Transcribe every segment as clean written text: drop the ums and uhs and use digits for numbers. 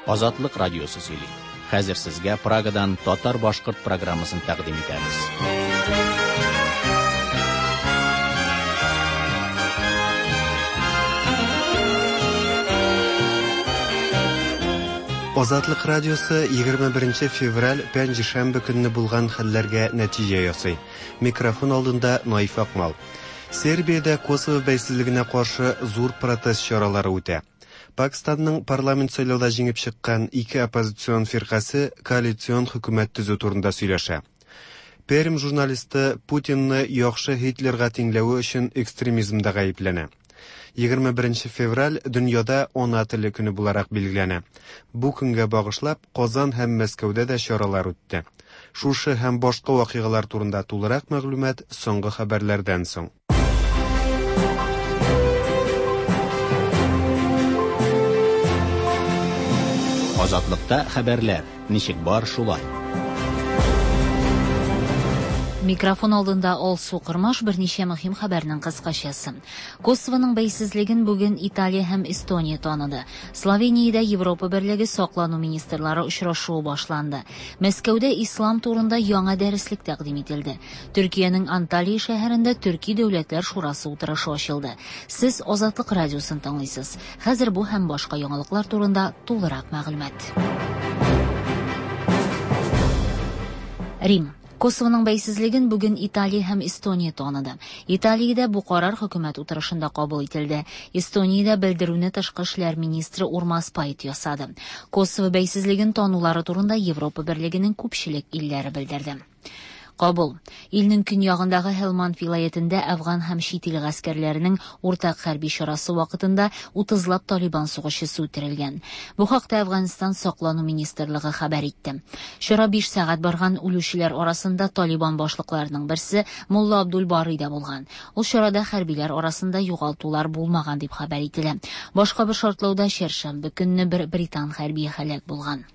Азатлык радиосы сөйли. Хәзер сезгә Прагадан татар-башкорт программасын тәкъдим итәбез. Азатлык радиосы 21 февраль пәнҗешәмбе көнне булган хәлләргә нәтиҗә ясый. Микрофон алдында Наиф Акмал. Сербиядә Косово бәйсезлегенә каршы зур протест чаралары үтә. Пакстанның парламент сайлауда җиңеп чыккан ике оппозицион фиркасе коалицион хөкүмәт төзү турында сөйләшә. Пермь журналисты Путинны яхшы Һитлерга тиңләве өчен экстремизмда гаепләнә. 21 февраль дөньяда ана теле көне буларак билгеләнә. Бу көнгә багышлап Казан һәм Мәскәүдә дә чаралар үтте. Шушы һәм башка вакыйгалар турында тулырак мәгълүмат соңгы хәбәрләрдән соң. Азатлыкта хәбәрләр, ничек бар шулай. Микрофон алдында Алсу Кырмаш берничә мөһим хәбәрнең кыскачасы. Косовоның бәйсезлеген бүген Италия һәм Эстония таныды. Словениядә Европа Берлеге саклану министрлары очрашуы башланды. Мәскәүдә ислам турында яңа дәреслек тәкъдим ителде. Төркиянең Анталия шәһәрендә Төрки дәүләтләр шурасы утырышы ачылды. Сез Азатлык радиосын тыңлыйсыз. Хәзер бу һәм башка яңалыклар турында тулырак мәгълүмат. Рим. Косовоның бәйсезлеген бүген Италия һәм Эстония таныды. Италиядә бу карар хөкүмәт утырышында кабул ителде. Эстониядә белдерүне тышкы эшләр министры Урмас Пайт ясады. Косово бәйсезлеген танулары турында Европа Берлегенең күпчелек илләре белдерде. Кабул. Илнең көньягындагы Һелманд вилаятендә әфган һәм чит ил гаскәрләренең уртак хәрби чарасы вакытында 30лап Талибан сугышчысы үтерелгән. Бу хакта Әфганстан саклану министрлыгы хәбәр итте. Чара 5 сәгать барган үлүчеләр арасында Талибан башлыкларының берсе Мулла Абдул Барый да булган. Ул чарада хәрбиләр арасында югалтулар булмаган дип хәбәр ителә. Башка бер шартлауда чәршәмбе көнне бер британ хәрбие һәлак булган.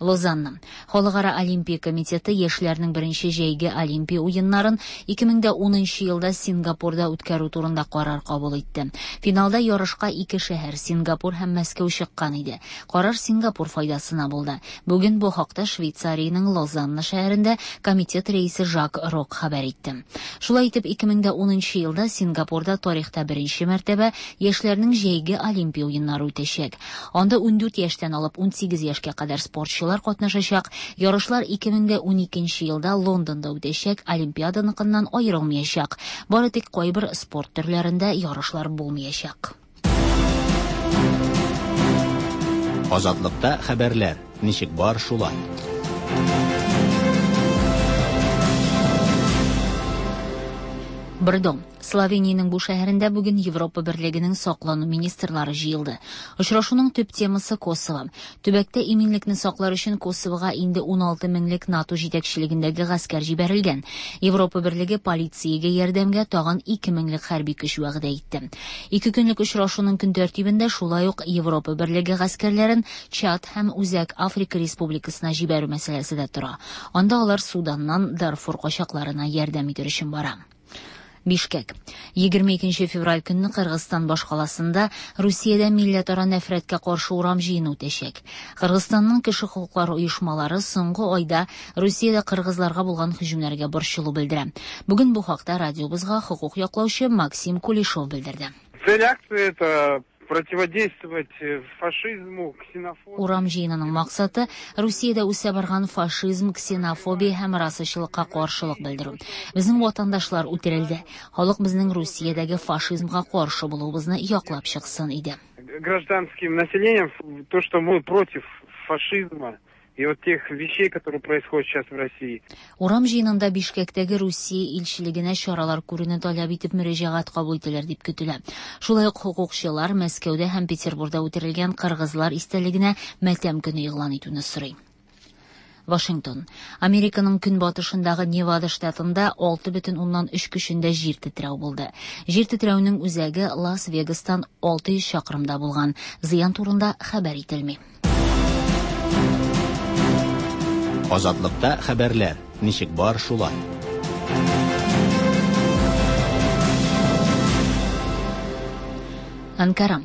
Лозанна. Халыкара Олимпия комитеты яшьләрнең беренче җәйге Олимпия уеннарын 2010 елда Сингапурда үткәрү турында карар кабул итте. Финалда ярышка ике шәһәр Сингапур һәм Мәскәү чыккан иде. Карар Сингапур файдасына булды. Бүген бу хакта Швейцариянең Лозанна шәһәрендә комитет рәисе Жак Рок хәбәр итте. Шулай итеп 2010 елда Сингапурда тарихта беренче мәртәбә яшьләрнең җәйге Олимпия уеннары үтәчәк. Анда 14 яшьтән алып 18 яшькә кадәр спортчылар катнашачак. Ярышлар 2012 елда Лондонда үтәчәк Олимпиаданыкыннан аерылмаячак. Бары тик кайбер спорт төрләрендә ярышлар булмаячак. Азатлыкта хәбәрләр, ничек бар шулай. Брдо. Словениянең бу шәһәрендә бүген Европа Берлегенең саклану министрлары җыелды. Очрашуның төп темасы Косово. Төбәктә иминлекне саклар өчен Косовога инде 16 меңлек НАТО җитәкчелегендәге гаскәр җибәрелгән. Европа Берлеге полициягә ярдәмгә тагын 2 меңлек хәрби көч вәгъдә итте. Ике көнлек очрашуның көн тәртибендә шулай ук Европа Берлеге гаскәрләрен Чад һәм Үзәк Африка Республикасына җибәрү мәсьәләсе дә тора. Анда алар Суданнан Дарфур качакларына ярдәм итер өчен бара. Бишкек. 22 февраль көнне Кыргызстан башкаласында Русиядә милләтара нәфрәткә каршы урам җыены үтәчәк. Кыргызстанның кеше хокуклары оешмалары соңгы айда Русиядә кыргызларга булган һөҗүмнәргә борчылу белдерә. Бүген бу хакта радиобызга хокук яклаучы Максим Кулешов белдерде. Цель акции это противодействовать фашизму, ксенофобии. Урам җыенының максаты Русиядә үсә барган фашизм, ксенофобия һәм расачылыкка каршылык белдерү. Безнең ватандашлар үтерелде. Халык безнең Русиядәге фашизмга каршы булуыбызны яклап чыксын иде. Гражданским населением то, что мы против фашизма и вот тех вещей, которые происходят сейчас в России. Урам җыенында Бишкектәге Русия илчелегенә чаралар күрүне таләп итеп мөрәҗәгать кабул ителер дип көтелә. Шулай ук хокукчылар Мәскәүдә һәм Петербургда үтерелгән кыргызлар истәлегенә матәм көне игълан итүне сорый. Вашингтон. Американың көнбатышындагы Невада штатында 6,3 көчендә җир тетрәү булды. Җир тетрәүнең үзәге Лас-Вегастан 600 чакрымда булган. Зыян турында хәбәр ителми. Азатлыкта хәбәрләр, ничек бар шулай. Анкара.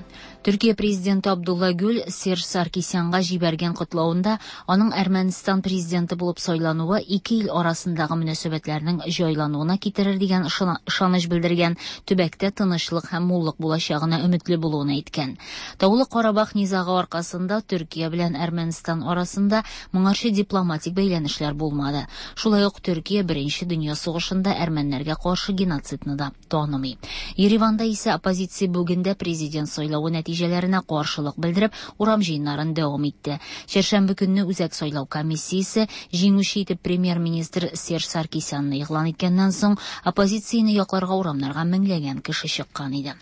Төркия президенты Абдулла Гүл Серж Саркисянга җибәргән котлавында аның Әрмәнстан президенты булып сайлануы ике ил арасындагы мөнәсәбәтләрнең җайлануына китерер дигән ышаныч белдергән, төбәктә тынычлык һәм муллык булачагына өметле булуын әйткән. Таулы Карабах низагы аркасында Төркия белән Әрмәнстан арасында моңарчы дипломатик бәйләнешләр булмады. Шулай ук Төркия Беренче дөнья сугышында әрмәннәргә каршы геноцидны да танымый. Ереванда исә оппозиция бүген дә президент сайлавы нәтиҗәләренә каршылык белдереп, урам җыеннарын дәвам итте. Чәршәмбе көнне Үзәк сайлау комиссиясе җиңүче итеп премьер-министр Серж Саркисянны игълан иткәннән соң, оппозицияне якларга урамнарга меңләгән кеше чыккан иде.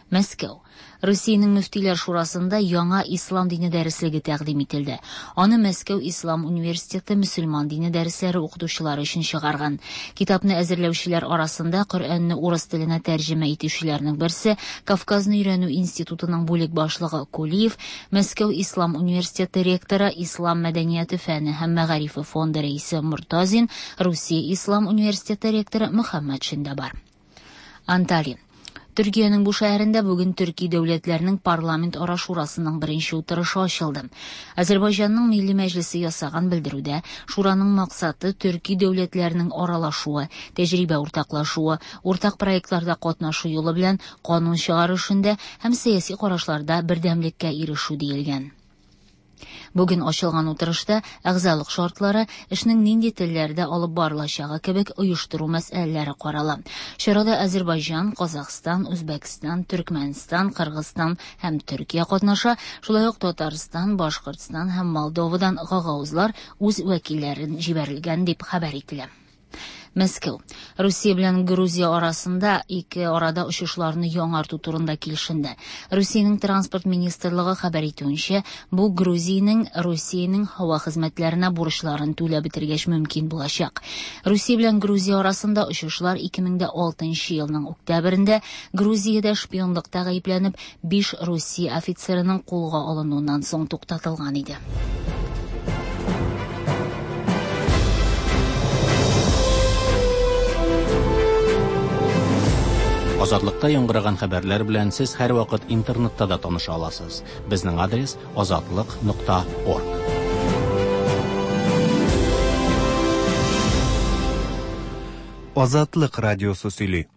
Мәскәү. Русиянең мөфтиләр шурасында яңа ислам дине дәреслеге тәкъдим ителде. Аны Мәскәү ислам университеты мөселман дине дәресләре укытучылары өчен чыгарган. Китапны әзерләүчеләр арасында Коръәнне урыс теленә тәрҗемә итүчеләрнең берсе Кавказны өйрәнү институтының бүлек башлыгы Кулиев, Мәскәү ислам университеты ректоры, Ислам мәдәнияте фәне һәм мәгарифе фонды рәисе Мортазин, Русия ислам университеты ректоры Мөхәммәтшин дә бар. Анталия. Төркиянең бу шәһәрендә бүген төрки дәүләтләрнең парламент ара шурасының беренче утырышы ачылды. Азербайҗанның Милли мәҗлесе ясаган белдерүдә шураның максаты төрки дәүләтләрнең аралашуы, тәҗрибә уртаклашуы, уртак проектларда катнашу юлы белән канун чыгару эшендә һәм сәяси карашларда бердәмлеккә ирешү диелгән. Бүген ачылган утырышта әгъзалык шартлары, эшнең нинди телләрдә алып барылачагы кебек оештыру мәсьәләләре карала. Чарада Азербайҗан, Казахстан, Үзбәкстан, Төркмәнстан, Кыргызстан һәм Төркия катнаша, шулай ук Татарстан, Башкортстан һәм Молдовадан гагаузлар үз вәкилләрен җибәрелгән дип хәбәр ителә. Мәскәү. Русия белән Грузия арасында ике арада очышларны яңарту турында килешенде. Русиянең транспорт министрлыгы хәбәр итүенчә, бу Грузиянең Русиянең һава хезмәтләренә бурычларын түләп бетергәч мөмкин булачак. Русия белән Грузия арасында очышлар 2006 елның октябрендә Грузиядә шпионлыкта гаепләнеп 5 Русия офицерының кулга алынуыннан соң туктатылган иде. Азатлыкта яңгыраган хәбәрләр белән сез һәрвакыт интернетта да таныша аласыз. Безнең адрес azatliq.org. Азатлык радиосы сөйли.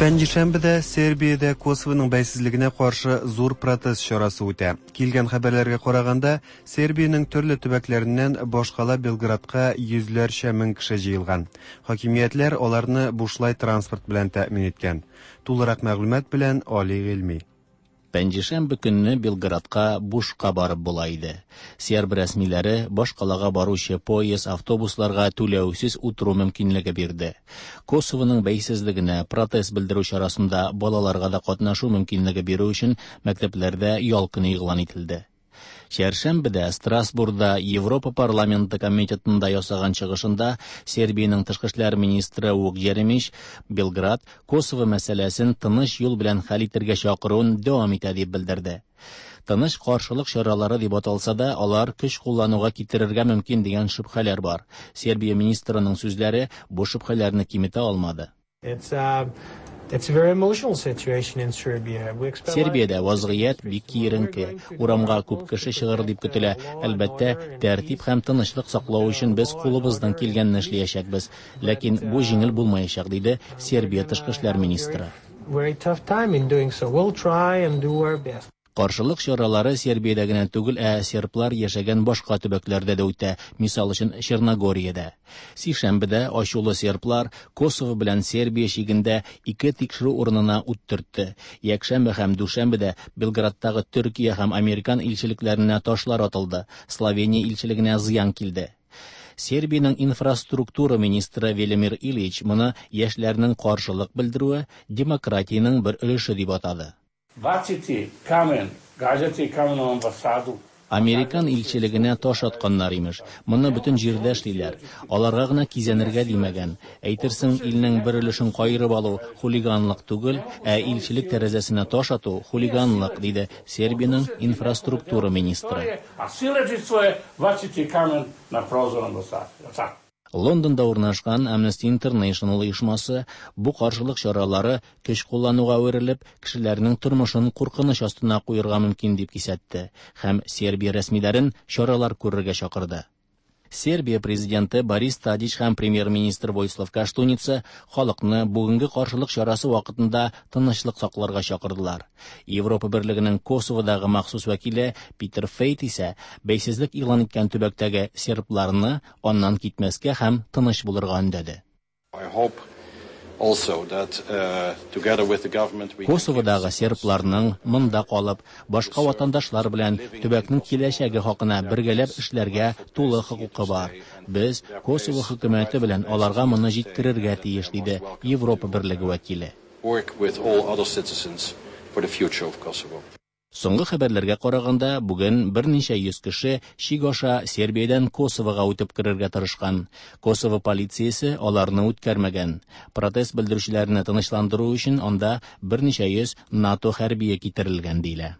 Пәнҗешәмбедә Сербиядә Косовоның бәйсезлегенә каршы зур протест чарасы үтә. Килгән хәбәрләргә караганда, Сербиянең төрле төбәкләреннән башкала Белградка йөзләрчә мең кеше җыелган. Хакимиятләр аларны бушлай транспорт белән тәэмин иткән. Тулырак мәгълүмат белән Али Гыйльми. Пәнҗешәмбе көнне Белградка бушка барып була иде. Серб рәсмиләре башкалага баручы поезд, автобусларга түләүсез утыру мөмкинлеге бирде. Косовоның бәйсезлегенә протест белдерү чарасында балаларга да катнашу мөмкинлеге бирү өчен мәктәпләрдә ял көне игълан ителде. Чәршәмбедә Страсбургда Европа парламенты комитетында ясаган чыгышында Сербиянең тышкы эшләр министры Вук Еремич Белград Косово мәсьәләсен тыныч юл белән хәл итәргә чакыруын дәвам итә дип белдерде. Тыныч каршылык чаралары дип аталса да, алар көч куллануга китерергә мөмкин дигән шөбһәләр бар. Сербия министрының сүзләре бу шөбһәләрне киметә алмады. Сербиядә вазгыять бик киеренке. Урамга күп кеше чыгыр дип көтелә. Әлбәттә, тәртип һәм тынычлык саклау өчен без кулыбыздан килгәнне эшләячәкбез. Ләкин бу җиңел булмаячак, диде Сербия тышкы эшләр министры. Каршылык чаралары Сербиядә генә түгел, ә серблар яшәгән башка төбәкләрдә дә үтә, мисал өчен Черногориядә. Сишәмбедә ачулы серблар Косово белән Сербия чигендә ике тикшерү урынына ут төртте. Якшәмбе һәм дүшәмбедә Белградтагы Төркия һәм Американ илчелекләренә ташлар атылды. Словения илчелегенә зыян килде. Сербиянең инфраструктура министры Велимир Ильич моны яшьләрнең каршылык белдерүе демократиянең бер өлеше дип атады. Baciti kamen, gađati kamenom ambasadu. Американ илчелегенә таш атканнар, имеш. Моны бөтен җирдә эшлиләр. Аларга гына кизәнергә димәгән. Әйтерсең, илнең бер өлешен каерып алу хулиганлык түгел, ә илчелек тәрәзәсенә таш ату, хулиганлык, диде Сербиянең инфраструктура министры. Лондонда урнашкан Amnesty International оешмасы бу каршылык чаралары көч куллануга әверелеп, кешеләрнең тормышын куркыныч астына куерга мөмкин дип кисәтте һәм Сербия рәсмиләрен чаралар күрергә чакырды. Сербия президенты Борис Тадич һәм премьер-министр Войслав Каштуница халыкны бүгенге каршылык чарасы вакытында тынычлык сакларга чакырдылар. Европа Берлегенең Косоводагы махсус вәкиле Питер Фейт исә бәйсезлек игълан иткән төбәктәге сербларны аннан китмәскә һәм тыныч булырга өндәде. Косоводагы сербларның монда калып, башка ватандашлар белән төбәкнең киләчәге хакына бергәләп эшләргә тулы хокукы бар. Без Косово хөкүмәте белән аларга моны җиткерергә тиеш, диде Европа Берлеге вәкиле. Соңгы хәбәрләргә караганда, бүген берничә йөз кеше чик аша Сербиядән Косовога үтеп керергә тырышкан. Косово полициясе аларны үткәрмәгән. Протест белдерүчеләрне тынычландыру өчен анда берничә йөз НАТО хәрбие китерелгән диелә.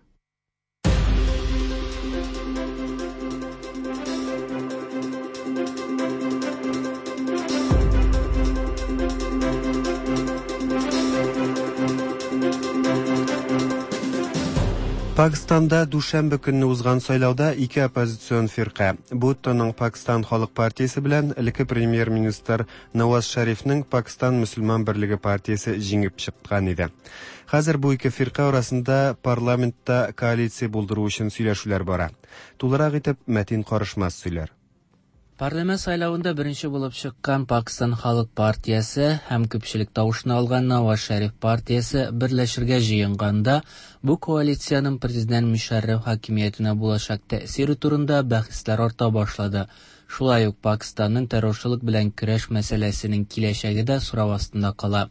Пакстанда дүшәмбе көнне узган сайлауда ике оппозицион фирка, Буттоның Пакстан халык партиясе белән элекке премьер-министр Наваз Шәрифнең Пакстан мөселман берлеге партиясе җиңеп чыккан иде. Хәзер бу ике фирка арасында парламентта коалиция булдыру өчен сөйләшүләр бара. Тулырак итеп Мәтин Карышмас сөйләр. Парламент сайлавында беренче булып чыккан Пакстан халык партиясе һәм күпчелек тавышны алган Наваз Шәриф партиясе берләшергә җыенганда, бу коалициянең президент Мөшәррәф хакимиятенә булачак тәэсире турында бәхәсләр арта башлады. Шулай ук Пакстанның террорчылык белән көрәш мәсьәләсенең киләчәге дә сорау астында кала.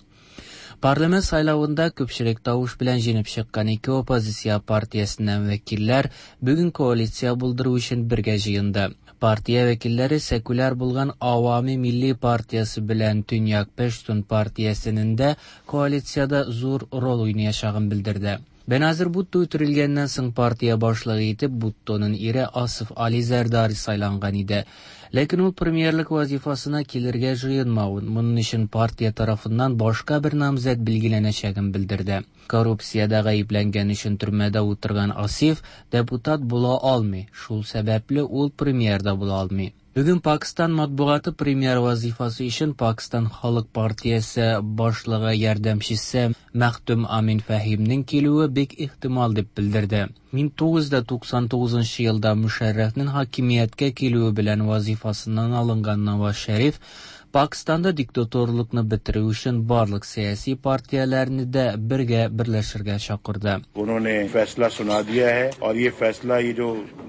Парламент сайлавында күпчелек тавыш белән җиңеп чыккан ике оппозиция партиясеннән вәкилләр бүген коалиция булдыру өчен бергә җыенды. Партия вәкилләре секуляр булган Авами Милли партиясе белән Төньяк Пештун партиясенең дә коалициядә зур роль уйнаячагын белдерде. Беназир Бутто үтерелгәннән соң партия башлыгы итеп Буттоның ире Асыф Али Зәрдари сайланган иде. Ләкин ул премьерлык вазифасына килергә җыенмавын, моның өчен партия тарафыннан башка бер намзәт билгеләнәчәген белдерде. Коррупциядә гаепләнгән өчен төрмәдә утырган Асиф депутат була алмый, шул сәбәпле ул премьер да була алмый. Бүген Пакстан матбугаты премьер вазифасы өчен Пакстан халык партиясе башлыгы ярдәмчесе Мәхтүм Амин Фәһимнең килүе бик ихтимал дип белдерде. 1999 елда Мөшәррәфнең хакимияткә килүе белән вазифасыннан алынган Наваз Шәриф Пакстанда диктаторлыкны бетерү өчен барлык сәяси партияләрне дә бергә берләшергә чакырды. उन्होंने फैसला सुना दिया है और ये फैसला ये जो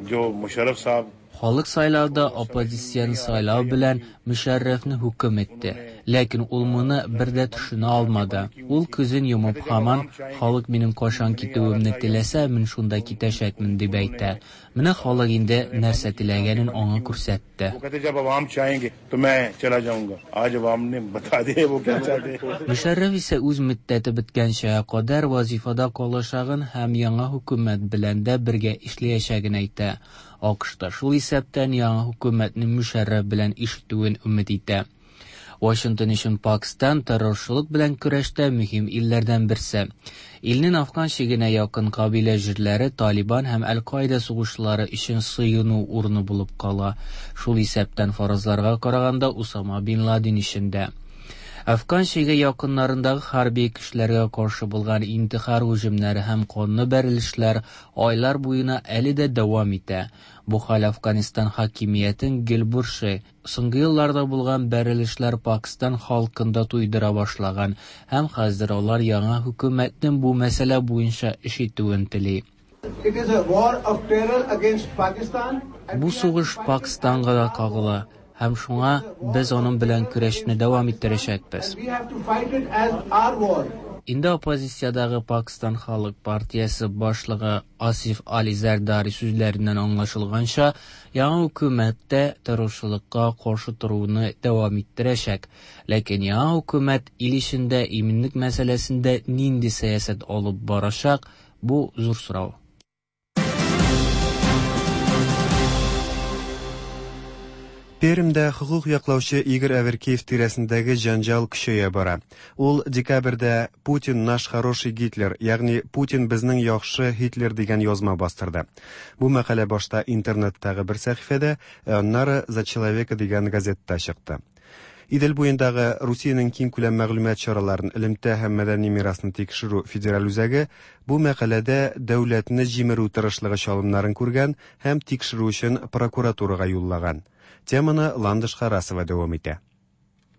जो मुशर्रफ साहब Халык сайлауда оппозицияне сайлау белән Мөшәррәфне хөкем итте. Ләкин ул моны бер дә төшенә алмады. Ул күзен йомып һаман халык минем кайчан китүемне теләсә, мин шунда китәчәкмен дип әйтә. Менә халык инде нәрсә теләгәнен аңа күрсәтте. वो कहते जब अवाम चाहेंगे तो मैं चला जाऊंगा आज अवाम ने बता दिया वो क्या चाहते हैं Мөшәррәф исә үз мөддәте беткәнчә кадәр вазифада калачагын һәм яңа хөкүмәт белән дә бергә эшләячәген әйтә. АКШта шул исәптән яңа хөкүмәтнең Мөшәррәф белән эш итүен өмет итә. Вашингтон өчен Пакстан террорчылык белән көрәштә мөһим илләрдән берсе. Илнең Афган чигенә якын кабилә җирләре Талибан һәм Әл-Каида сугышчылары өчен сыену урыны булып кала. Шул исәптән фаразларга караганда Усама бин Ладен өчен дә. Афган чиге якыннарындагы хәрби көчләргә каршы булган интихар һөҗүмнәре һәм канлы бәрелешләр айлар буена әле дә дәвам итә. Бу хәл Афганистан хакимиятен гел борчый. Соңгы елларда булган бәрелешләр Пакстан халкын да туйдыра башлаган һәм хәзер алар яңа хөкүмәтнең бу мәсьәлә буенча эш итүен тели. It is a war of terror against Pakistan. Бу сугыш Пакстанга да кагыла һәм шуңа без аның белән көрәшне дәвам иттерәчәкбез. We have to fight it as our war. Инде оппозициядәге Пакстан халык партиясе башлыгы Асиф Али Зәрдари сүзләреннән аңлашылганча, яңа хөкүмәт тә террорчылыкка каршы торуны дәвам иттерәчәк. Ләкин яңа хөкүмәт ил эчендә иминлек мәсьәләсендә нинди сәясәт алып барачак, бу зур сорау. Пермьдә хокук яклаучы Игорь Аверкиев тирәсендәге җәнҗал көчәя бара. Ул декабрьдә «Путин наш хороший Гитлер», ягъни «Путин безнең яхшы Һитлер» дигән язма бастырды. Бу мәкалә башта интернеттагы бер сәхифәдә, ә аннары «За человека» дигән газетта чыкты. Идел буендагы Русиянең киңкүләм мәгълүмат чараларын, элемтә һәм мәдәни мирасны тикшерү федераль үзәге бу мәкаләдә дәүләтне җимерү тырышлыгы чалымнарын күргән һәм тикшерү өчен прокуратурага юллаган. Теманы Ландыш Харасова дәвам итә.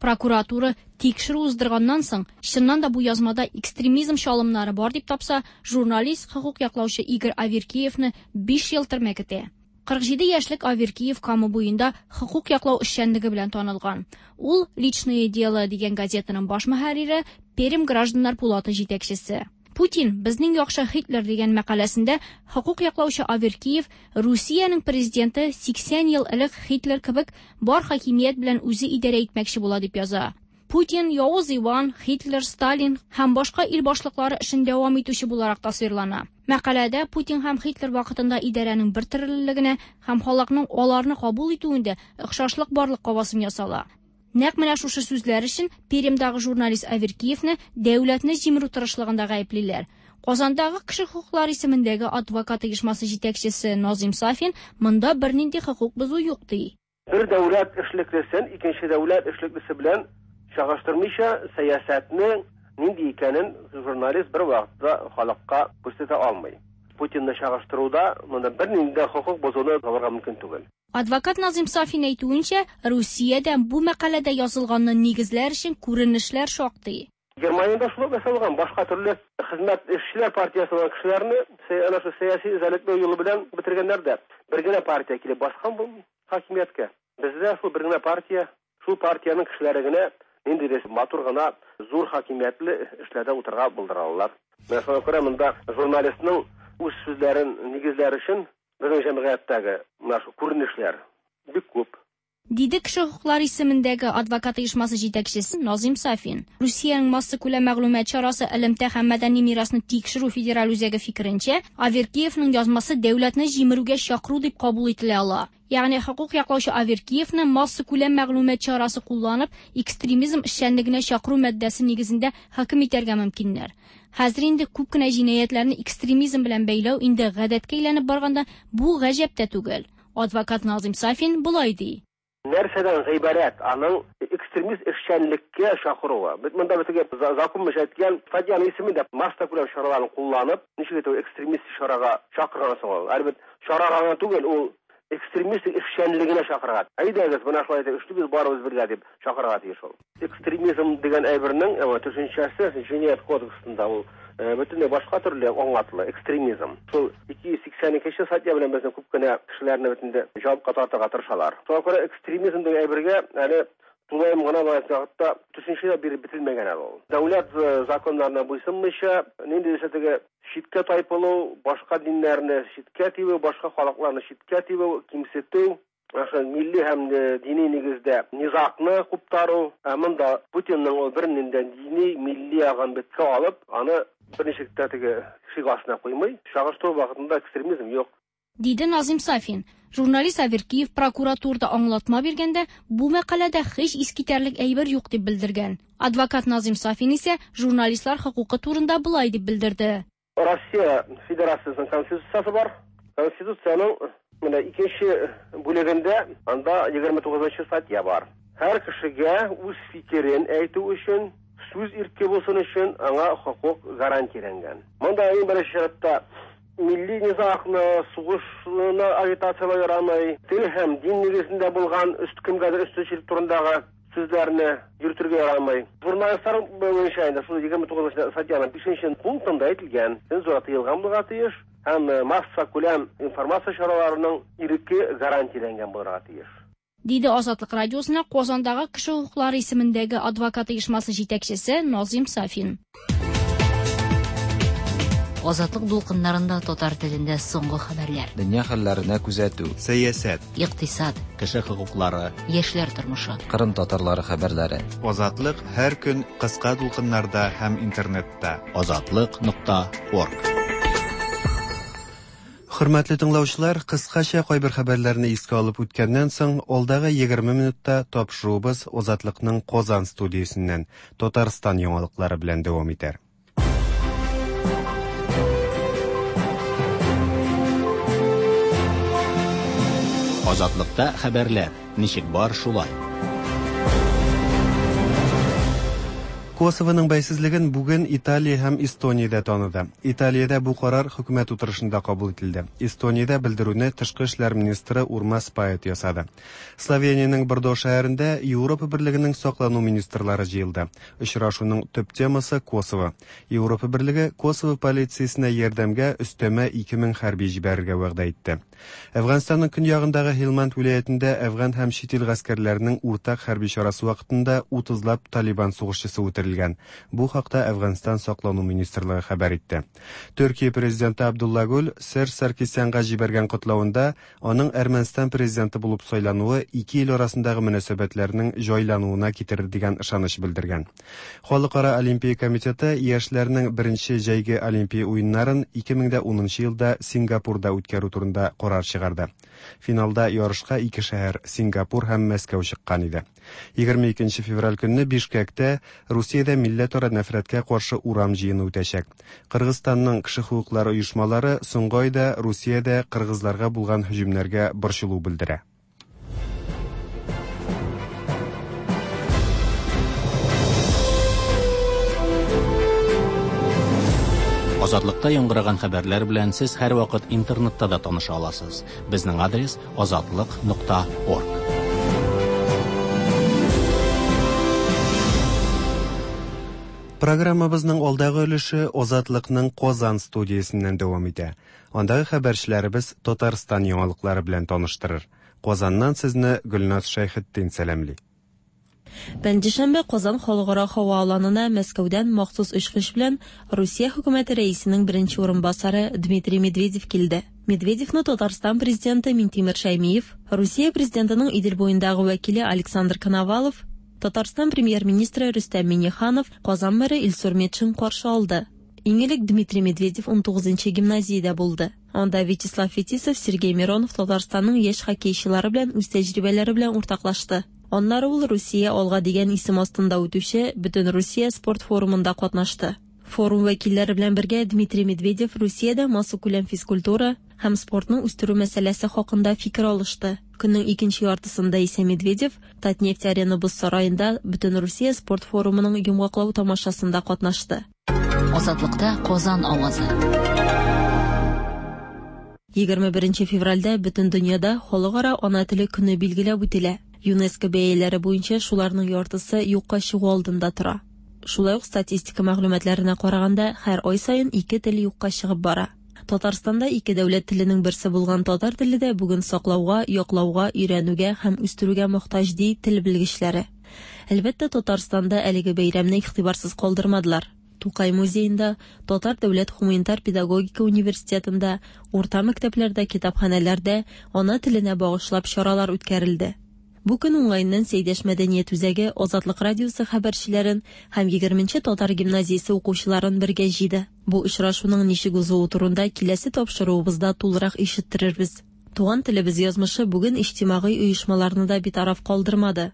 Прокуратура тикшерү уздырганнан соң, чыннан да бу язмада экстремизм чалымнары бар дип тапса, журналист, хокук яклаучы Игорь Аверкиевны 5 ел төрмә көтә. 47 яшьлек Аверкиев Кама буенда хокук яклау эшчәнлеге белән танылган. Ул «Личное дело» дигән газетаның баш мөхәррире, Пермь гражданнар пулаты җитәкчесе. Путин безнең яхшы Һитлер дигән мәкаләсендә хокук яклаучы Аверкиев Русиянең президенты 80 ел элек Һитлер кебек бар хакимият белән үзе идарә итмәкче була дип яза. Путин Явыз Иван, Һитлер, Сталин һәм башка ил башлыклары эшен дәвам итүче буларак тасвирлана. Мәкаләдә Путин һәм Һитлер вакытында идарәнең бер төрлелегенә һәм халыкның аларны кабул итүендә охшашлык барлыкка басым ясала. Нәкъ менә шушы сүзләр өчен Пермьдагы журналист Аверкиевны дәүләтне җимерү тырышлыгында гаеплиләр. Казандагы кеше хокуклары исемендәге адвокат оешмасы җитәкчесе Назим Сафин монда бернинди хокук бозу юк ди. Бер дәүләт эшлеклесен икенче дәүләт эшлеклесе белән чагыштырмыйча сәясәтнең нинди икәнен журналист бер вакытта халыкка күрсәтә алмый. Путинны чагыштыруда монда бернинди хокук бозуны табарга мөмкин түгел. Адвокат Назим Сафин әйтүенчә, Русиядә бу мәкаләдә язылганны нигезләр өчен күренешләр шактый. Германиядә шулай ясалган, башка төрле хезмәт эшчеләр партиясе булган кешеләрне әнә шул сәяси эзәрлекләү юлы белән бетергәннәр дә. Бер генә партия килеп баскан бу хакимияткә. Бездә шул бер генә партия, шул партиянең кешеләре генә ниндидер матур гына зур хакимиятле эшләрдә утырырга булдыралар. Менә шуңа күрә монда журналистның үз сүзләрен нигезләр өчен безнең җәмгыятьтәге менә шул күренешләр бик күп. Диде кеше хокуклары исемендәге адвокат оешмасы җитәкчесе Назим Сафин. Русиянең массакүләм мәгълүмат чарасы элемтә һәм мәдәни мирасны тикшерү федераль үзәге фикеренчә, Аверкиевның язмасы дәүләтне җимерүгә чакыру дип кабул ителә ала. Ягъни хокук яклаучы Аверкиевны массакүләм мәгълүмат чарасы кулланып, экстремизм эшчәнлегенә чакыру маддәсе нигезендә хөкем итәргә мөмкиннәр. Хәзер инде күп кенә җинаятьләрне экстремизм белән бәйләү инде гадәткә әйләнеп барганда бу гаҗәп тә түгел. Адвокат Назим Сафин болай ди. Нәрсәдән гыйбарәт аның экстремист эшчәнлеккә чакыруы? Бит монда бит закон әйткән статьяның исеме дә массакүләм чараларын кулланып, ничек итеп экстремист чарага чакырган соң ул? Әлбәттә, чарага гына түгел, ул экстремист эшчәнлегенә чакырган. Әйдәгез, менә шулай итеп эшлибез барыбыз бергә дип чакырырга тиеш ул. Экстремизм дигән әйбернең төшенчәсе җинаять кодексында ул бөтенләй башка төрле аңлатыла экстремизм. Шул 282 статья белән безнең күп кенә кешеләрне бөтенләй җавапка тартырга тырышалар. Шуңа күрә экстремизм дигән әйбергә әле тулаем гына вакытта төшенчә биреп бетелмәгән әле ул. Дәүләт законнарына буйсынмыйча, ниндидер теге читкә тайпылу, башка диннәрне читкә тибү, башка халыкларны читкә тибү, кимсетү, ошо милли һәм дини нигездә низагны куптару, ә монда Путинның ул бернинди дини, милли ягын беткә алып, аны берничек тә теге шик астына куймый. Чагыштыру вакытында экстремизм юк. Диде Назим Сафин. Журналист Аверкиев прокуратурада аңлатма биргәндә, бу мәкаләдә һич искитәрлек әйбер юк дип белдергән. Адвокат Назим Сафин исә журналистлар хокукы турында болай дип белдерде. Россия Федерациясының конституциясе бар. Конституциянең менә икенче бүлегендә анда 29 статья бар. Һәр кешегә үз фикерен әйтү өчен, сүз ирке булсын өчен аңа хокук гарантияләнгән. Монда иң беренче чиратта милли низагны, сугышны агитацияләү ярамый, тел һәм дин нигезендә булган кемгәдер өстенчелек турындагы сүзләрне йөртергә ярамый. Журналистлар буенча инде шул 29 статьяның 5 пунктында әйтелгән, цензура тыелган булырга тиеш һәм массакүләм информация чараларының иреке гарантияләнгән булырга тиеш. Диде Азатлык радиосына Казандагы кеше хокуклары исемендәге адвокат оешмасы җитәкчесе Назим Сафин. Азатлык дулкыннарында татар телендә соңгы хәбәрләр. Дөнья хәлләренә күзәтү. Сәясәт. Икътисад. Кеше хокуклары. Яшьләр тормышы. Кырым татарлары хәбәрләре. Азатлык һәр көн кыска дулкыннарда һәм интернетта. Азатлык.орг. Хөрмәтле тыңлаучылар, кыскача кайбер хәбәрләрне искә алып үткәннән соң, алдагы 20 минутта тапшыруыбыз Азатлыкның Казан студиясеннән Татарстан яңалыклары белән дәвам итәр. Азатлыкта хәбәрләр ничек бар шулай. Косованың бәйсезлеген бүген Италия һәм Эстониядә таныды. Италиядә бу карар хөкүмәт утырышында кабул ителде. Эстониядә белдерүне тышкы эшләр министры Урмас Пает ясады. Словениянең Бордо шәһәрендә Европа Берлегенең саклану министрлары җыелды. Очрашуның төп темасы Косово. Европа Берлеге Косово полициясенә ярдәмгә өстәмә 2000 хәрби җибәрергә вәгъдә итте. Әфганстанның көньягындагы Һилманд вилаятендә әфган һәм чит ил гаскәрләренең уртак хәрби чарасы вакытында 30лап Талибан сугышчысы үтерелгән. Бу хакта Әфганстан саклану министрлыгы хәбәр итте. Төркия президенты Абдулла Гүл Серж Саркисянга җибәргән котлавында аның Әрмәнстан президенты булып сайлануы ике ил арасындагы мөнәсәбәтләрнең җайлануына китерер дигән ышаныч белдергән. Халыкара Олимпия комитеты яшьләрнең беренче җәйге Олимпия уеннарын 2010 елда Сингапурда үткәрү турында карар чыгарды. Финалда ярышка ике шәһәр Сингапур һәм Мәскәү чыккан иде. 22 февраль көнне Бишкекта Русиядә милләтара нәфрәткә каршы урам җыены үтәчәк. Кыргызстанның кеше хокуклары оешмалары соңгы айда Русиядә кыргызларга булган һөҗүмнәргә борчылу белдерә. Азатлыкта яңгыраган хәбәрләр белән сез һәрвакыт интернетта да таныша аласыз. Безнең адрес азатлык.орг. Программабызның алдагы өлеше Азатлыкның Казан студиясеннән дәвам итә. Андагы хәбәрчеләребез Татарстан яңалыклары белән таныштырыр. Казаннан сезне Гөлназ Шәйхетдин сәламли. Пәнҗешәмбе Казан халыкара һава аланына Мәскәүдән махсус очкыч белән Русия хөкүмәте рәисенең беренче урынбасары Дмитрий Медведев килде. Медведевны Татарстан президенты Минтимер Шәймиев, Русия президентының Идел буендагы вәкиле Александр Коновалов, Татарстан премьер-министры Рөстәм Миңнеханов, Казан мэры Илсур Метшин каршы алды. Иң элек Дмитрий Медведев 19 гимназиядә булды. Анда Вячеслав Фетисов, Сергей Миронов Татарстанның яшь хоккейчылары белән үз тәҗрибәләре белән уртаклашты. Аннары ул Русия алга дигән исем астында үтүче Бөтенрусия спорт форумында катнашты. Форум вәкилләре белән бергә Дмитрий Медведев Русиядә массакүләм физкультура һәм спортны үстерү мәсьәләсе хакында фикер алышты. Көннең икенче яртысында исә Медведев Татнефть Арена боз сараенда Бөтенрусия спорт форумының йомгаклау тамашасында катнашты. Азатлыкта Казан авазы. 21 февральдә бөтен дөньяда Халыкара ана теле көне билгеләп үтелә. ЮНЕСКО бәяләре буенча шуларның яртысы юкка чыгу алдында тора. Шулай ук статистика мәгълүматларына караганда, һәр ай саен ике тел юкка чыгып бара. Татарстанда ике дәүләт теленең берсе булган татар теле дә бүген саклауга, яклауга, өйрәнүгә һәм үстерүгә мохтаҗ, ди тел белгечләре. Әлбәттә, Татарстанда әлеге бәйрәмне игътибарсыз калдырмадылар. Тукай музеенда, Татар дәүләт гуманитар педагогика университетында, урта мәктәпләрдә, китапханәләрдә ана теленә багышлап чаралар үткәрелде. Бу көн уңаеннан Сәйдәш мәдәният үзәге Азатлык радиосы хәбәрчеләрен һәм 20 татар гимназиясе укучыларын бергә җыйды. Бу очрашуның ничек узуы турында киләсе тапшыруыбызда тулырак ишеттерербез. Туган телебез язмышы бүген иҗтимагый оешмаларны да битараф калдырмады.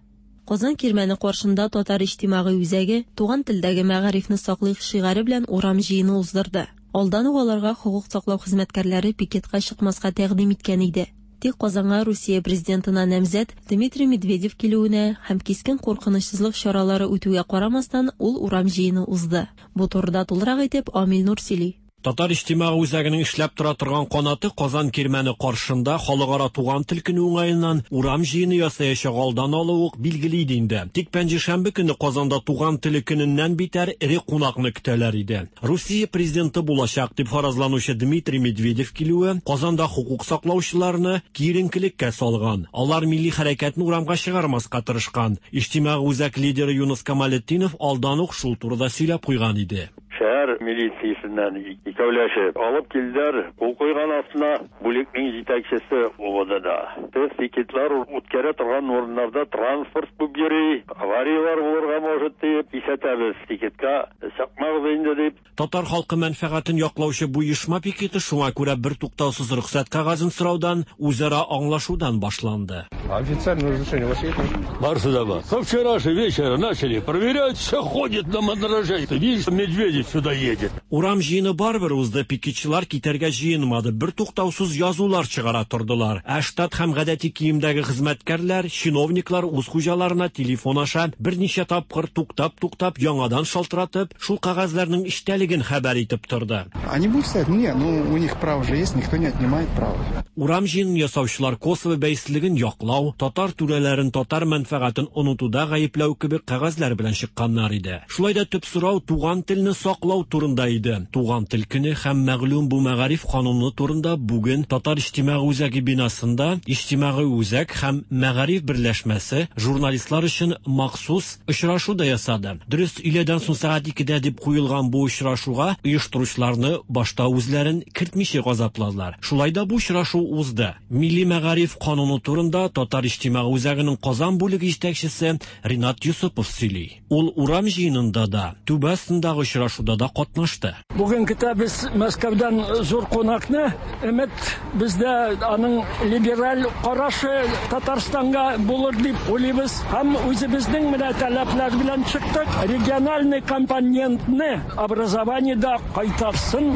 Казан кирмәне каршында Татар иҗтимагый үзәге туган телдәге мәгарифне саклыйк шигаре белән урам җыены уздырды. Алдан ук аларга хокук саклау хезмәткәрләре пикетка чыкмаска тәкъдим иткән иде. Тик Казанга Русия президентына намзәт Дмитрий Медведев килүенә һәм кискен куркынычсызлык чаралары үтүгә карамастан, ул урам җыены узды. Бу турыда тулырак итеп Амил Нур сөйли. Татар иҗтимагый үзәгенең эшләп тора торган канаты Казан кирмәне каршында халыкара туган тел көне уңаеннан урам җыены ясаячак алдан алу ук билгеле иде инде. Тик пәнҗешәмбе көне Казанда туган теле көненнән битәр эре кунакны көтәләр иде. Русия президенты булачак дип фаразланучы Дмитрий Медведев килүе Казанда хокук саклаучыларны киеренкелеккә салган. Алар милли хәрәкәтне урамга чыгармаска тырышкан. Иҗтимагый үзәк лидеры Юныс Камалетдинов алдан ук шул турыда сөйләп куйган иде. Шәһәр милициясеннән икәүләшеп алып килделәр, кул куйган астына бүлекнең җитәкчесе УВДда. Без пикетлар үткәрә торган урыннарда транспорт күп йөри, аварияләр булырга может диеп кисәтәбез. Пикетка чыкмагыз инде дип. Татар халкы мәнфәгатен яклаучы бу оешма пикеты шуңа күрә бертуктаусыз рөхсәт кәгазен сораудан, үзара аңлашудан башланды. Официальное разрешение у вас есть? Барысы да бар. Со вчерашнего вечера начали проверять, все ходит на мандраже. Видишь, Медведев сюда едет. Урам җыены барыбер узды, пикетчылар китәргә җыенмады, бертуктаусыз язулар чыгара тордылар. Ә штат һәм гадәти киемдәге хезмәткәрләр, чиновниклар үз хуҗаларына телефон аша берничә тапкыр туктап-туктап яңадан шалтыратып, шул кәгазьләрнең эчтәлеген хәбәр итеп торды. Они будут стоять? Не, ну у них право же есть, никто не отнимает право. Урам җыенын ясаучылар Косово бәйсезлеген яклау, татар түрәләрен татар мәнфәгатен онытуда гаепләү кебек кәгазьләр белән чыкканнар иде. Шулай да төп сорау туган телне саклау турында иде. Туган тел көне һәм мәгълүм бу мәгариф кануны турында бүген Татар иҗтимагый үзәге бинасында Иҗтимагый үзәк һәм мәгариф берләшмәсе журналистлар өчен махсус очрашу да ясады. Дөрес, өйләдән соң сәгать 2дә дип куелган бу очрашуга оештыручыларны башта үзләрен кертмичә газапладылар. Шулай да бу очрашу узды. Милли мәгариф кануны турында Татар иҗтимагый үзәгенең Казан бүлеге җитәкчесе Ринат Юсупов сөйли. Ул урам җыенында да, түбә астындагы очрашуда да катнашты. Бүген көтәбез Мәскәүдән зур кунакны. Өмет бездә аның либераль карашы Татарстанга булыр дип уйлыйбыз. Һәм үзебезнең менә таләпләр белән чыктык. Региональный компонентны образованиедә кайтарсын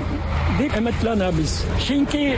дип өметләнәбез. Чөнки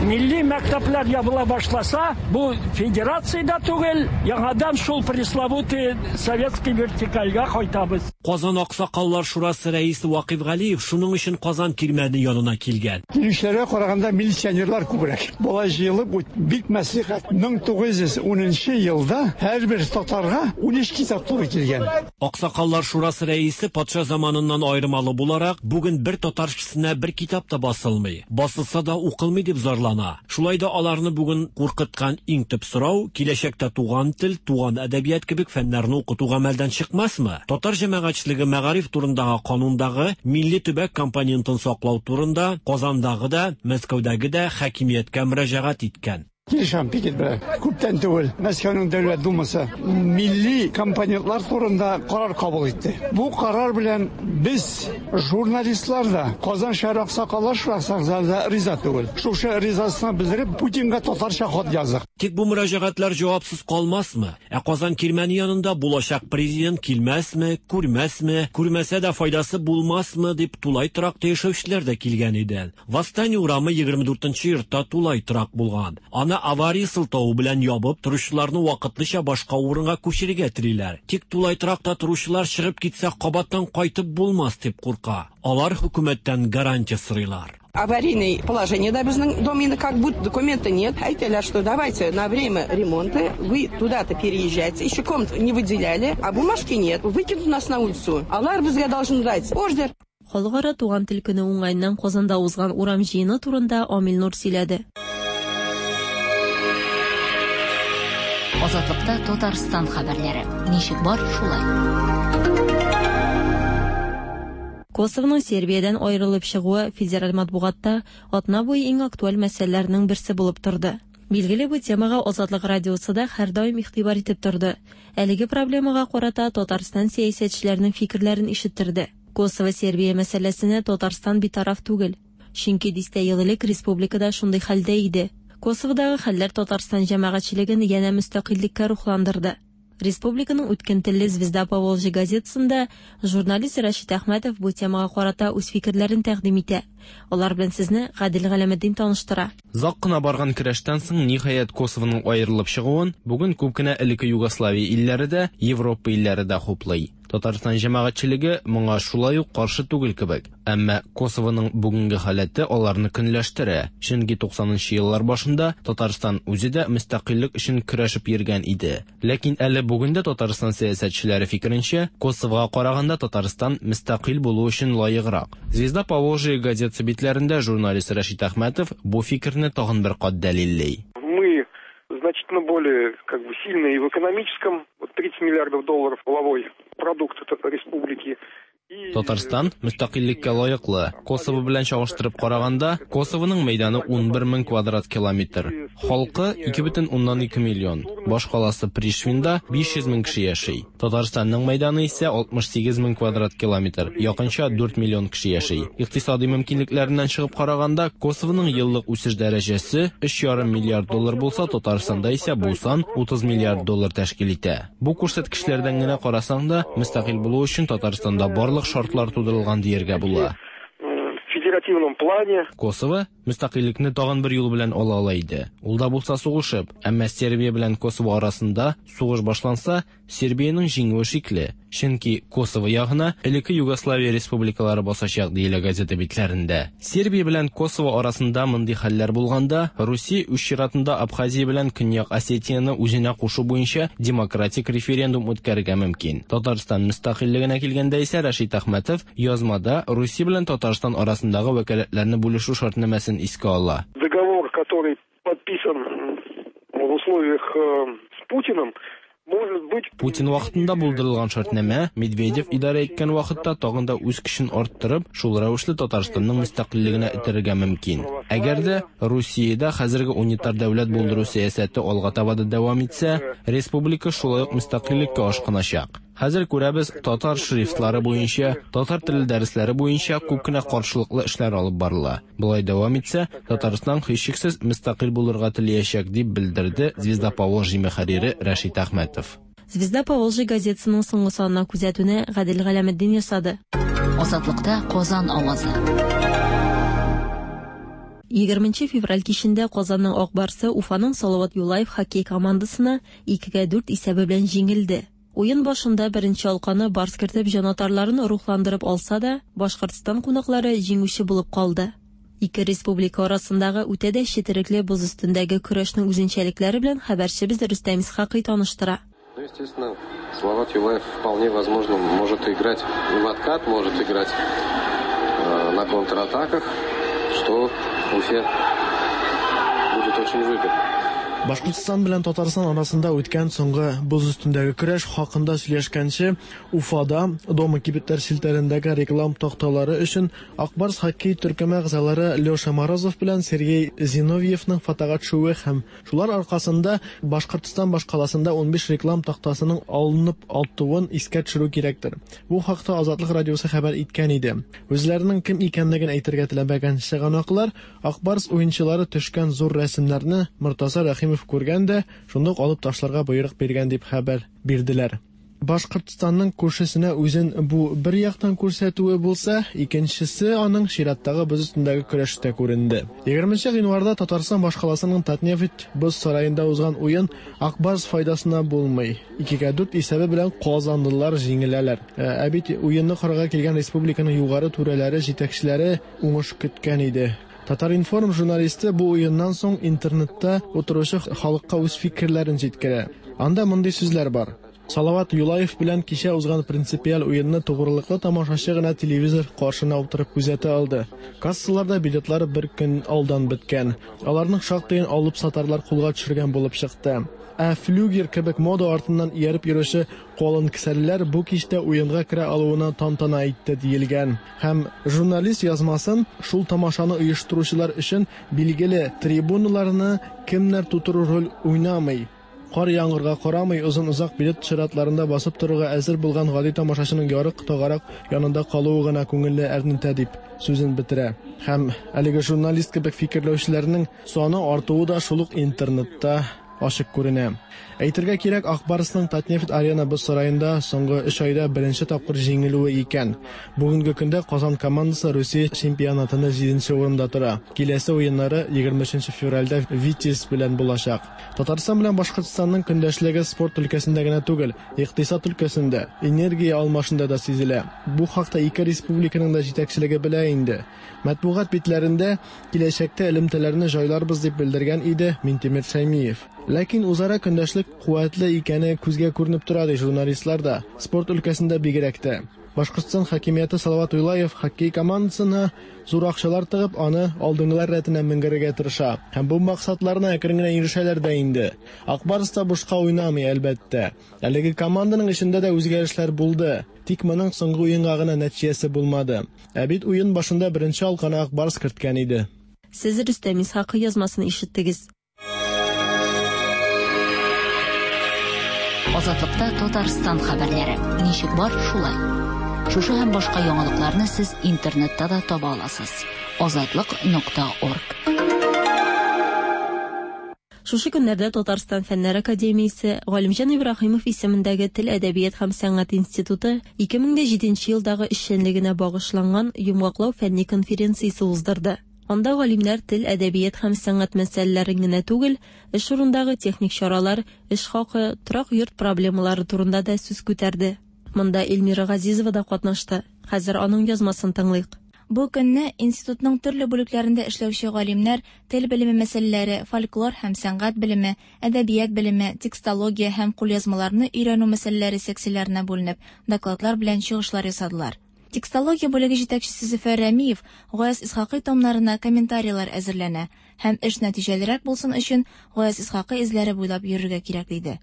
милли мәктәпләр ябыла башласа, бу федерация дә түгел, яңадан шул пресловутый советский вертикальгә кайтабыз. Казан Аксакаллар шурасы рәисе Вакыйф Галиев шуның өчен Казан кирмәне янына килгән. Килүчеләргә караганда милиционерлар күбрәк. Болай җыелып, бик мәслихәт. 1910 елда һәрбер татарга 13 китап туры килгән. Аксакаллар шурасы рәисе патша заманыннан аермалы буларак, бүген бер татар кешесенә бер китап та басылмый. Басылса да укылмый дип зарлана. Шулай да аларны бүген куркыткан иң төп сорау, киләчәктә туган тел, туган әдәбият кебек фәннәрне укыту гамәлдән чыкмасмы? Татар җәмәгатьчелеге мәгариф турындагы канундагы милли төбәк компонентын саклау турында Казандагы да, Мәскәүдәге дә хакимияткә мөрәҗәгать иткән. Килешәм пикет белән. Күптән түгел Мәскәүнең Дәүләт Думасы милли компонентлар турында карар кабул итте. Бу карар белән без журналистлар да, Казан шәһәр аксакаллар шурасы да риза түгел. Шушы ризасызлыгын белдереп Путинга татарча хат яздык. Тик бу мөрәҗәгатьләр җавапсыз калмасмы? Ә Казан кирмәне янында булачак президент килмәсме, күрмәсме, күрмәсә дә файдасы булмасмы дип тулай торакта яшәүчеләр дә килгән иде. Восстание урамы 24 йортта тулай торак булган. Аны авария сылтавы белән ябып, торучыларны вакытлыча башка урынга күчерергә телиләр. Тик тулай торакта торучылар чыгып китсә, кабаттан кайтып булмас дип курка. Алар хөкүмәттән гарантия сорыйлар. Аварийное положение, да, безнең дом инде как будто документа нет. Әйтәләр, что давайте на время ремонта вы туда-то переезжайте. Еще комнат не выделяли, а бумажки нет. Выкинут нас на улицу. Алар безгә должны дать ордер. Халыкара туган тел көне уңаеннан Казанда узган урам җыены турында Амил Нур сөйләде. Азатлыкта Татарстан хәбәрләре. Ничек бар, шулай. Косовоның Сербиядән аерылып чыгуы федераль матбугатта атна буе иң актуаль мәсьәләләрнең берсе булып торды. Билгеле, бу темага Азатлык радиосы да һәрдаим игътибар итеп торды. Әлеге проблемага карата Татарстан сәясәтчеләренең фикерләрен ишеттерде. Косово-Сербия мәсьәләсенә Татарстан битараф түгел. Чөнки дистә ел элек республикада шундый хәлдә иде. Косоводагы хәлләр Татарстан җәмәгатьчелеген янә мөстәкыйльлеккә рухландырды. Республиканың үткен телле Звезда Поволжья газетасында журналист Рәшит Әхмәтов бу темага карата үз фикерләрен тәкъдим итә. Алар белән сезне Гадел Галәметдин таныштыра. Озак кына барган көрәштән соң ниһаять Косовоның аерылып чыгуын бүген күп кенә элекке Югославия илләре дә, Европа илләре дә хуплый. Татарстан җәмәгатьчелеге моңа шулай ук каршы түгел кебек. Әмма Косовоның бүгенге халәте аларны көнләштерә. Чөнки 90 еллар башында Татарстан үзе дә мөстәкыйльлек өчен көрәшеп йөргән иде. Ләкин әле бүген дә Татарстан сәясәтчеләре фикеренчә, Косовога караганда Татарстан мөстәкыйль булу өчен лаеграк. Звезда Поволжья газетасы битләрендә журналист Рәшит Әхмәтов бу фикерне тагын бер кат дәлилли. Мы значительно более сильные и в экономическом, 30 миллиардов долларов валовой продукт республики, Татарстан мөстәкыйльлеккә лаеклы. Косово белән чагыштырып караганда, Косовоның мәйданы 11 мең квадрат километр. Халкы 2,2 миллион. Башкаласы Пришвинда 500 мең кеше яши. Татарстанның мәйданы исә 68 мең квадрат километр, якынча 4 миллион кеше яши. Икътисади мөмкинлекләреннән чыгып караганда, Косовоның еллык үсеш дәрәҗәсе 3,5 миллиард доллар булса, Татарстанда исә бу сан 30 миллиард доллар тәшкил итә. Бу күрсәткечләрдән генә карасаң да, мөстәкыйль булу өчен Татарстанда барлык шартлар тудырылган дияргә була. В федеративном плане. Косово мөстәкыйльлекне тагын бер юл белән ала ала иде. Ул да булса сугышып. Әмма Сербия белән Косово арасында сугыш башланса, Сербиянең җиңүе шикле. Чөнки Косово ягына элекке Югославия республикалары басачак, диелә газета битләрендә. Сербия белән Косово арасында мондый хәлләр булганда, Русия үз чиратында Абхазия белән Көньяк Осетияне үзенә кушу буенча демократик референдум үткәрергә мөмкин. Татарстан мөстәкыйльлегенә килгәндә исә Рәшит Әхмәтов язмада Русия белән Татарстан арасындагы вәкаләтләрне бүлешү шартнамәсен искә ала. Договор, который подписан в условиях с Путиным, может быть... Путин вакытында булдырылган шартнамә Медведев идарә иткән вакытта тагын да үз көчен арттырып, шул рәвешле Татарстанның мөстәкыйльлегенә этәрергә мөмкин. Әгәр дә Русиядә хәзерге унитар дәүләт булдыру сәясәте алга таба да дәвам итсә, республика шулай ук мөстәкыйльлеккә ашкыначак. Хәзер күрәбез, татар шрифтлары буенча, татар теле дәресләре буенча күп кенә каршылыклы эшләр алып барыла. Болай дәвам итсә, Татарстан һичшиксез мөстәкыйль булырга теләячәк, дип белдерде Звезда Поволжье мөхәррире Рәшит Әхмәтов. Звезда Поволжье газетасының соңгы санына күзәтүне Гадел Галәметдин ясады. Азатлыкта Казан авазы. 20 февраль кичендә Казанның Ак Барсы Уфаның Салават Юлаев хоккей командасына 2-4 исәбе белән җиңелде. Уен башында беренче алканы Барс кертеп җанатарларын рухландырып алса да, Башкортстан кунаклары җиңүче булып калды. Ике республика арасындагы үтә дә четерекле боз өстендәге көрәшнең үзенчәлекләре белән хәбәрчебез Рөстәм Исхакый таныштыра. Ну, естественно, Салават Юлаев вполне возможно может играть в откат, может играть на контратаках, что Уфе будет очень выгодно. Башкортстан белән Татарстан арасында үткән соңгы боз өстендәге көрәш хакында сөйләшкәнче, Уфада Дома кибетләр челтәрендәге реклам такталары өчен Ак Барс хоккей төркеме әгъзалары Леша Морозов белән Сергей Зиновьевның фотога төшүе һәм шулар аркасында Башкортстан башкаласында 15 реклам тактасының алынып атуын искә төшерү кирәктер. Бу хакта Азатлык радиосы хәбәр иткән иде. Үзләренең кем икәнлеген әйтергә теләмәгән чыганаклар Ак Барс уенчылары төшкән зур рәсемнәрне Мортаза Рәхимов күргән дә, шундук алып ташларга боерык биргән дип хәбәр бирделәр. Башкортстанның күршесенә үзен бу бер яктан күрсәтүе булса, икенчесе аның чираттагы боз өстендәге көрәштә күренде. 20 гыйнварда Татарстан башкаласының Татнефть боз сараенда узган уен Ак Барс файдасына булмый. 2-4 исәбе белән казанлылар җиңеләләр. Ә бит уенны карарга килгән республиканың югары түрәләре, җитәкчеләре уңыш көткән иде. Татар-информ журналисты бу уеннан соң интернетта утыручы халыкка үз фикерләрен җиткерә. Анда мондый сүзләр бар. Салават Юлаев белән кичә узган принципиаль уенны тугрылыклы тамашачы гына телевизор каршына утырып күзәтә алды. Кассаларда билетлар бер көн алдан беткән. Аларның шактыен алып сатарлар кулга төшергән булып чыкты. Ә флюгер кебек мода артыннан ияреп йөрүче калын кесәлеләр бу кичтә уенга керә алуына тантана итте диелгән. Һәм журналист язмасын шул тамашаны оештыручылар өчен билгеле трибуналарны кемнәр тутыру роль уйнамый. Кар яңгырга карамый озын-озак билет чиратларында басып торырга әзер булган гади тамашачының ярык тагарак янында калуы гына күңелне әрнетә дип сүзен бетерә. Һәм әлеге журналист кебек фикерләүчеләрнең саны артуы да шул ук интернетта ачык күренә. Әйтергә кирәк, Ак Барсның Татнефть Арена боз сараенда соңгы 3 айда беренче тапкыр җиңелүе икән. Бүгенге көндә Казан командасы Русия чемпионатында 7нче урында тора. Киләсе уеннары 23 февральдә Витязь белән булачак. Татарстан белән Башкортстанның көндәшлеге спорт өлкәсендә генә түгел, икътисад өлкәсендә, энергия алмашында да сизелә. Бу хакта ике республиканың да җитәкчелеге белә инде. Матбугат битләрендә киләчәктә элемтәләрне җайларбыз дип белдергән иде Минтимер Шәймиев. Ләкин үзара көндәшлек куәтле икәне күзгә күренеп тора ди журналистлар да, спорт өлкәсендә бигрәк тә. Башкортстан хакимияте Салават Юлаев хоккей командасына зур акчалар тыгып, аны алдынгылар рәтенә менгерергә тырыша. Һәм бу максатларына әкрен генә ирешәләр дә инде. Ак Барс та бушка уйнамый, әлбәттә. Әлеге команданың эчендә дә үзгәрешләр булды. Тик моның соңгы уенга гына нәтиҗәсе булмады. Ә бит уен башында беренче алканы Ак Барс керткән иде. Сез Рөстәм Исхакый язмасын ишеттегез. Азатлыкта Татарстан хәбәрләре. Ничек бар, шулай. Шушы һәм башка яңалыкларны сез интернетта да таба аласыз. Азатлык.орг. Шушы көннәрдә Татарстан Фәннәр академиясе Галимҗан Ибраһимов исемендәге Тел, әдәбият һәм сәнгать институты 2007 елдагы эшчәнлегенә багышланган йомгаклау фәнни конференциясе уздырды. Анда галимнәр тел, әдәбият һәм сәнгать мәсьәләләрен генә түгел, эш урындагы техник чаралар, эш хакы, торак йорт проблемалары турында да сүз күтәрде. Монда Эльмира Газизова да катнашты. Хәзер аның язмасын тыңлыйк. Бу көнне институтның төрле бүлекләрендә эшләүче галимнәр тел белеме мәсьәләләре, фольклор һәм сәнгать белеме, әдәбият белеме, текстология һәм кулъязмаларны өйрәнү мәсьәләләре секцияләренә бүленеп, докладлар белән чыгышлар ясадылар. Текстология бүлеге җитәкчесе Зөфәр Рәмиев Гаяз Исхакый томнарына комментарийлар әзерләнә һәм эш нәтиҗәлерәк булсын өчен Гаяз Исхакый эзләре буйлап йөрергә кирәк диде.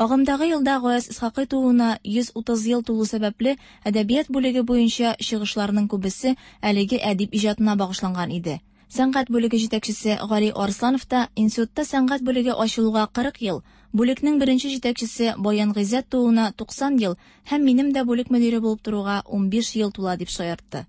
Агымдагы елда Гаяз Исхакый тууына 130 ел тулу сәбәпле әдәбият бүлеге буенча чыгышларның күбесе әлеге әдип иҗатына багышланган иде. Сәнгать бүлеге җитәкчесе Гали Арсланов та институтта сәнгать бүлеге ачылуга 40 ел, бүлекнең беренче җитәкчесе Баян Гыйззәт тууына 90 ел һәм минем дә бүлек мөдире булып торуга 15 ел тула дип шаяртты.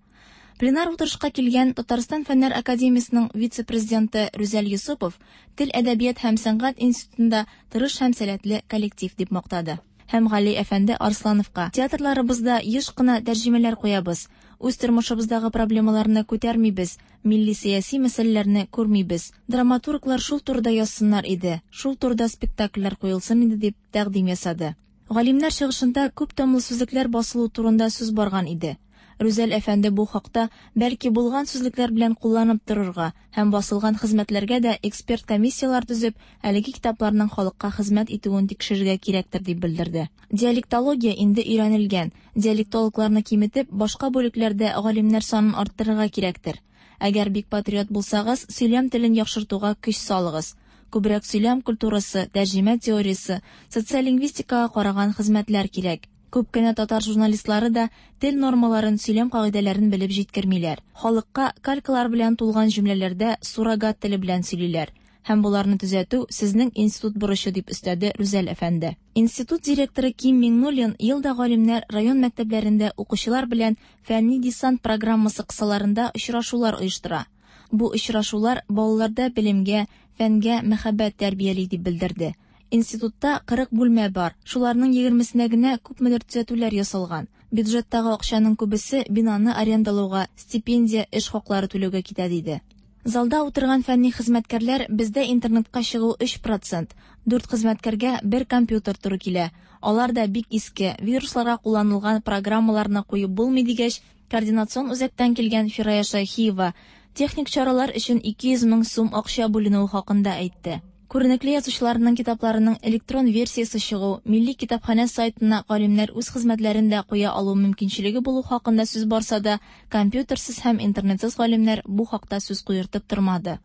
Пленар утырышка килгән Татарстан Фәннәр академиясенең вице-президенты Рүзәл Йосыпов Тел, әдәбият һәм сәнгать институтында тырыш һәм сәләтле коллектив дип мактады. Һәм Гали әфәнде Арслановка театрларыбызда еш кына тәрҗемәләр куябыз, үз тормышыбыздагы проблемаларны күтәрмибез, милли сәяси мәсьәләләрне күрмибез. Драматурглар шул турыда язсыннар иде, шул турыда спектакльләр куелсын иде дип тәкъдим ясады. Галимнәр чыгышында күп томлы сүзлекләр басылу турында сүз барган иде. Рүзәл әфәнде бу хакта бәлки булган сүзлекләр белән кулланып торырга һәм басылган хезмәтләргә дә эксперт комиссияләр төзеп, әлеге китапларның халыкка хезмәт итүен тикшерергә кирәктер дип белдерде. Диалектология инде өйрәнелгән. Диалектологларны киметеп, башка бүлекләрдә галимнәр санын арттырырга кирәктер. Әгәр бик патриот булсагыз, сөйләм телен яхшыртуга көч салыгыз. Күбрәк сөйләм культурасы, тәрҗемә теориясе, социолингвистикага караган хезмәтләр кирәк. Күп кенә татар журналистлары да тел нормаларын, сөйләм кагыйдәләрен белеп җиткермиләр. Халыкка калькалар белән тулган җөмләләрдә суррогат теле белән сөйлиләр. Һәм боларны төзәтү сезнең институт бурычы дип өстәде Рүзәл әфәнде. Институт директоры Ким Миңнуллин ел да галимнәр район мәктәпләрендә укучылар белән фәнни десант программасы кысаларында очрашулар оештыра. Бу очрашулар балаларда белемгә, фәнгә мәхәббәт тәрбияли дип белдерде. Институтта 40 бүлмә бар. Шуларның 20-сенә генә күпмедер төзәтүләр ясалган. Бюджеттагы акчаның күбесе бинаны арендалауга, стипендия, эш хаклары түләүгә китә диде. Залда утырган фәнни хезмәткәрләр бездә интернетка чыгу 3%, 4 хезмәткәргә бер компьютер туры килә. Алар да бик иске, вирусларга кулланылган программаларны куеп булмый дигәч, координацион үзәктән килгән Фирая Шәйхиева техник чаралар өчен 200 мең сум акча бүленүе хакында әйтте. Күренекле язучыларның китапларының электрон версиясе чыгу, Милли китапханә сайтына галимнәр үз хезмәтләрен дә куя алу мөмкинчелеге булу хакында сүз барса да, компьютерсыз һәм интернетсыз галимнәр бу хакта сүз куертып тормады.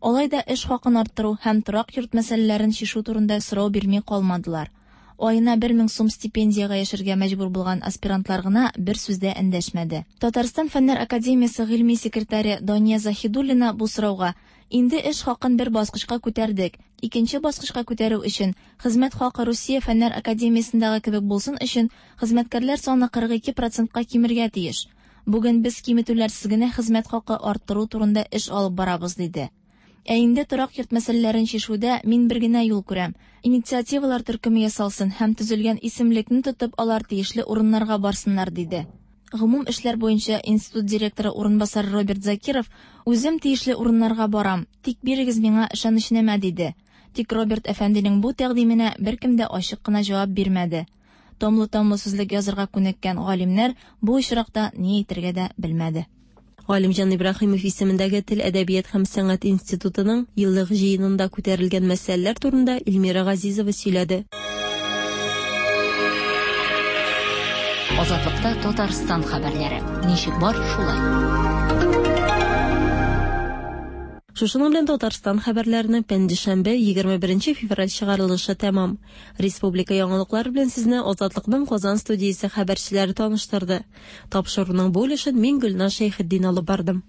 Алай да эш хакын арттыру һәм торак йорт мәсьәләләрен чишү турында сорау бирми калмадылар. Аена 1000 сум стипендиягә яшәргә мәҗбүр булган аспирантлар гына бер сүз дә эндәшмәде. Татарстан Фәннәр академиясе гыйльми секретаре Дания Заһидуллина бу сорауга Инде эш хакын бер баскычка күтәрдек. Икенче баскычка күтәрү өчен, хезмәт хакы Русия Фәннәр академиясендәге кебек булсын өчен, хезмәткәрләр саны 42 процентка кимергә тиеш. Бүген без киметүләрсез генә хезмәт хакы арттыру турында эш алып барабыз, диде. Ә инде торак йорт мәсьәләләрен чишүдә мин бер генә юл күрәм. Инициативалар төркеме ясалсын һәм төзелгән исемлекне тотып алар тиешле урыннарга барсыннар, диде. Гомум эшләр буенча институт директоры урынбасары Роберт Закиров үзем тиешле урыннарга барам, тик бирегез миңа ышанычнамә, диде. Тик Роберт әфәнденең бу тәкъдименә беркем дә ачык кына җавап бирмәде. Томлы-томлы сүзлек язырга күнеккән галимнәр бу очракта ни әйтергә дә белмәде. Галимҗан Ибраһимов исемендәге Тел, әдәбият һәм сәнгать институтының еллык җыенында күтәрелгән мәсьәләләр турында Эльмира Газизова сөйләде. Азатлыкта Татарстан хәбәрләре. Ничек бар, шулай. Шушының белән Татарстан хәбәрләренең пәнҗешәмбе, 21 февраль чыгарылышы тәмам. Республика яңалыклары белән сезне Азатлыкның Казан студиясе хәбәрчеләре таныштырды. Тапшыруның бу өлешен мин Гөлназ Шәйхетдин алып бардым.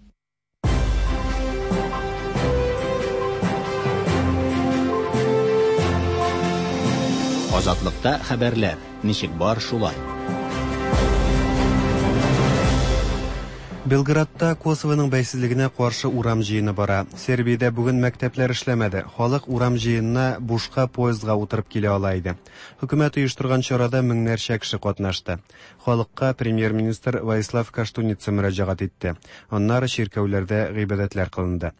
Азатлыкта хәбәрләр. Ничек бар, шулай. Белградта Косовоның бәйсезлегенә каршы урам җыены бара. Сербиядә бүген мәктәпләр эшләмәде. Халык урам җыенына бушка поездга утырып килә ала иде. Хөкүмәт оештырган чарада меңнәрчә кеше катнашты. Халыкка премьер-министр Воислав Коштуница мөрәҗәгать итте. Аннары чиркәүләрдә гыйбадәтләр кылынды.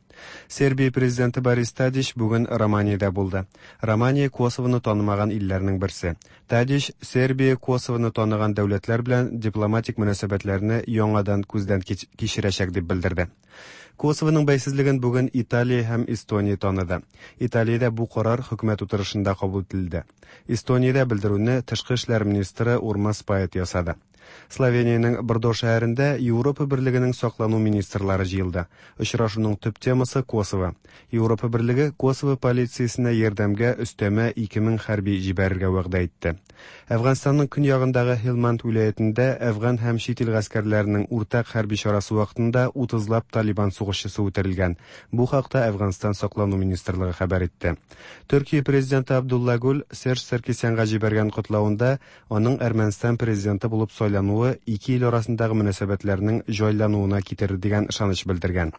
Сербия президенты Борис Тадич бүген Романиядә булды. Романия Косовоны танымаган илләрнең берсе. Тадич Сербия Косовоны таныган дәүләтләр белән дипломатик мөнәсәбәтләрне яңадан күздән кичерәчәк дип белдерде. Косовоның бәйсезлеген бүген Италия һәм Эстония таныды. Италиядә бу карар хөкүмәт утырышында кабул ителде. Эстониядә белдерүне тышкы эшләр министры Урмас Пает ясады. Словениянең Брдо шәһәрендә Европа Берлегенең саклану министрлары җыелды. Очрашуның төп темасы Косово. Европа Берлеге Косово полициясенә ярдәмгә өстәмә 2000 хәрби җибәрергә вәгъдә итте. Әфганстанның көньягындагы Һилманд вилаятендә әфган һәм чит ил гаскәрләренең уртак хәрби чарасы вакытында 30лап Талибан сугышчысы үтерелгән. Бу хакта Әфганстан саклану министрлыгы хәбәр итте. Төркия президенты Абдулла Гүл Серж Саркисянга җибәргән котлавында аның Әрмәнстан президенты булып сайлануы ике ил арасындагы мөнәсәбәтләрнең җайлануына китерер дигән ышаныч белдергән.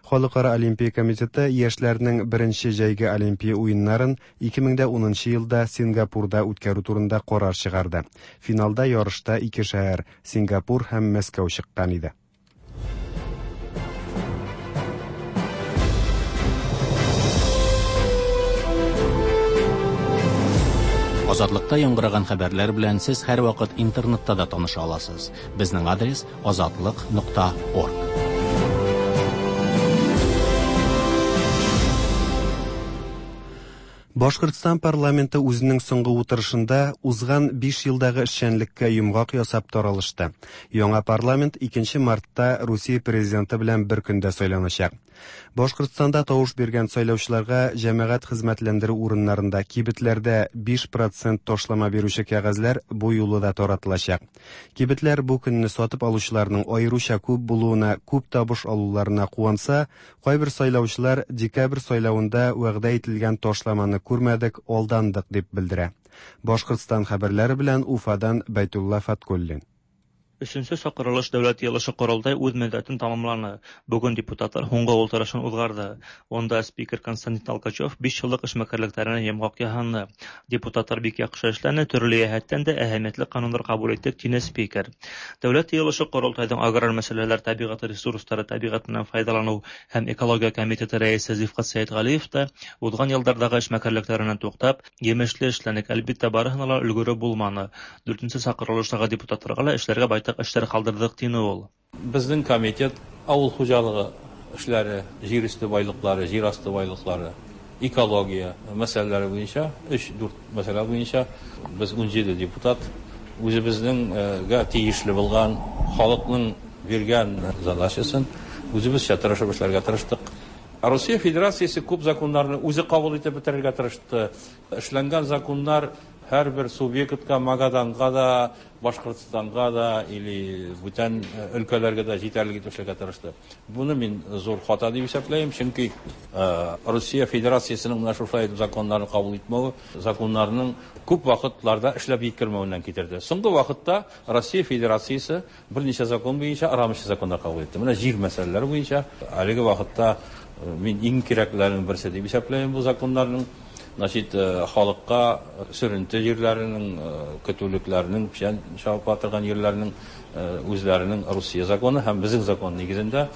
Халыкара Олимпия комитеты яшьләрнең беренче җәйге Олимпия уеннарын 2010 елда Сингапурда үткәрү турында карар чыгарды. Финалда ярышта ике шәһәр Сингапур һәм Мәскәү чыккан иде. Азатлыкта яңгыраган хәбәрләр белән сез һәрвакыт интернетта да таныша аласыз. Безнең адрес азатлык.орг. Башкортстан парламенты үзенең соңгы утырышында узган 5 елдагы эшчәнлеккә йомгак ясап таралышты. Яңа парламент 2 мартта Русия президенты белән бер көндә сайланачак. Башкортстанда тавыш биргән сайлаучыларга җәмәгать хезмәтләндерү урыннарында, кибетләрдә 5% ташлама бирүче кәгазьләр бу юлы да таратылачак. Кибетләр бу көнне сатып алучыларның аеруча күп булуына, күп табыш алуларына куанса, кайбер сайлаучылар декабрь сайлавында вәгъдә ителгән ташламаны күрмәдек, алдандык дип белдерә. Башкортстан хәбәрләре белән Уфадан Бәйтулла Фаткуллин. Өченче чакырылыш Дәүләт Йыелышы-Корылтай үз мөддәтен тамамланы. Бүген депутатлар һуңгы ултырышын узгарды. Онда спикер Константин Толкачев 5 еллык эшмәкәрлекләренә йомгак яһанны. Депутатлар бик яхшы эшләне, төрле йәһәттән дә әһәмиятле кануннар кабул иттек, тине спикер. Дәүләт Йыелышы-Корылтайның аграр мәсьәләләр, табигать ресурслары, табигатеннән файдалану һәм экология комитеты рәисе Зифкат Сәетгалиев та узган еллардагы эшмәкәрлекләреннән туктап, емешле эшләнек, әлбиттә, барыһына ла өлгереп булманы. Дүртенче чакырылыштагы депутатларга ла эшләргә байтак эшләр калдырдык, тине ул. Безнең комитет авыл хуҗалыгы эшләре, җир өсте байлыклары, җир асты байлыклары, экология мәсьәләләре буенча, 3-4 мәсьәлә буенча без 17 депутат үзебезнең тиешле булган халыкның биргән задачасын үзебезчә тырышып эшләргә тырыштык. Россия Федерациясе күп законнарны үзе кабул итеп бетерергә тырышты. Эшләнгән законнар һәрбер субъектка, Магаданга да, Башкортстанга да или бүтән өлкәләргә дә җитәрлек итеп эшләргә тырышты. Буны мин зур хата дип исәпләйм, чөнки Россия Федерациясенең менә шушылай итеп законнарны кабул итмәве, законнарның күп вакытларда эшләп җиткермәвеннән китерде. Соңгы вакытта Россия Федерациясе берничә закон буенча рамочный законнар кабул итте. Менә җир мәсьәләләре буенча әлеге вакытта мин иң кирәкләренең берсе дип исәпләйм бу законнарның. Значит, халыкка сөренте җирләренең, көтүлекләренең, печән чабып торган җирләренең үзләренең Русия законы һәм безнең закон нигезендә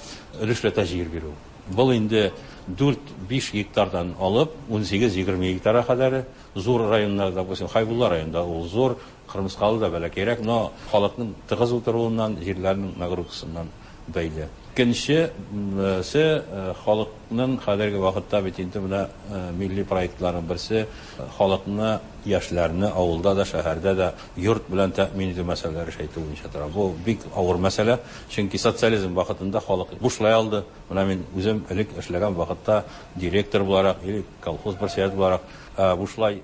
өлешләтә җир бирү. Был инде 4-5 гектардан алып 18-20 гектарга кадәр зур районнарда, допустим, Хайбулла районында ул зур, Кырмыскалы да бәләкәйрәк, но халыкның тыгыз утыруыннан, җирләрнең нагрузкасыннан бәйле. Икенчесе халыкның хәзерге вакытта бит инде менә милли проектларның берсе халыкны яшьләрне авылда да, шәһәрдә дә йорт белән тәэмин итү мәсьәләләре әйтү буенча тора. Бу бик авыр мәсьәлә, чөнки социализм вакытында халык бушлай алды. Менә мин үзем элек эшләгән вакытта директор буларак или колхоз председателе буларак бушлай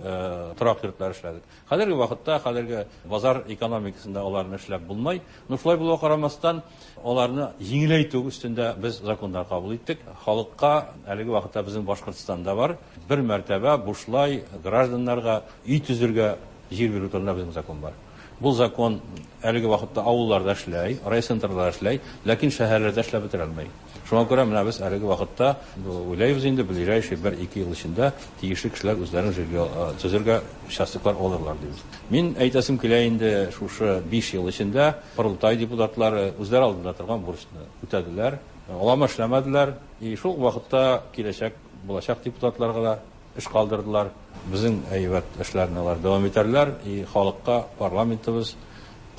торак йортлар эшләдек. Хәзерге вакытта, хәзерге базар экономикасында аларны эшләп булмый. Но шулай булуга карамастан, аларны җиңеләйтү өстендә без законнар кабул иттек. Халыкка әлеге вакытта безнең Башкортстанда бар бер мәртәбә бушлай гражданнарга өй төзергә җир бирү турында безнең закон бар. Бу закон әлеге вакытта авылларда эшләй, райцентрларда эшләй, ләкин шәһәрләрдә эшләп бетерә алмый. Шуңа күрә менә без әлеге вакытта уйлайбыз инде, ближайший 1-2 ел эчендә тиешле кешеләр үзләренең жилье төзергә участоклар алырлар дибез. Мин әйтәсем килә инде, шушы 5 ел эчендә Корылтай депутатлары үзләре алдында торган бурычны үтәделәр, алама эшләмәделәр, и шул вакытта киләчәк булачак депутатларга да эш калдырдылар. Безнең әйбәт эшләрне алар дәвам итәрләр, и халыкка парламентыбыз,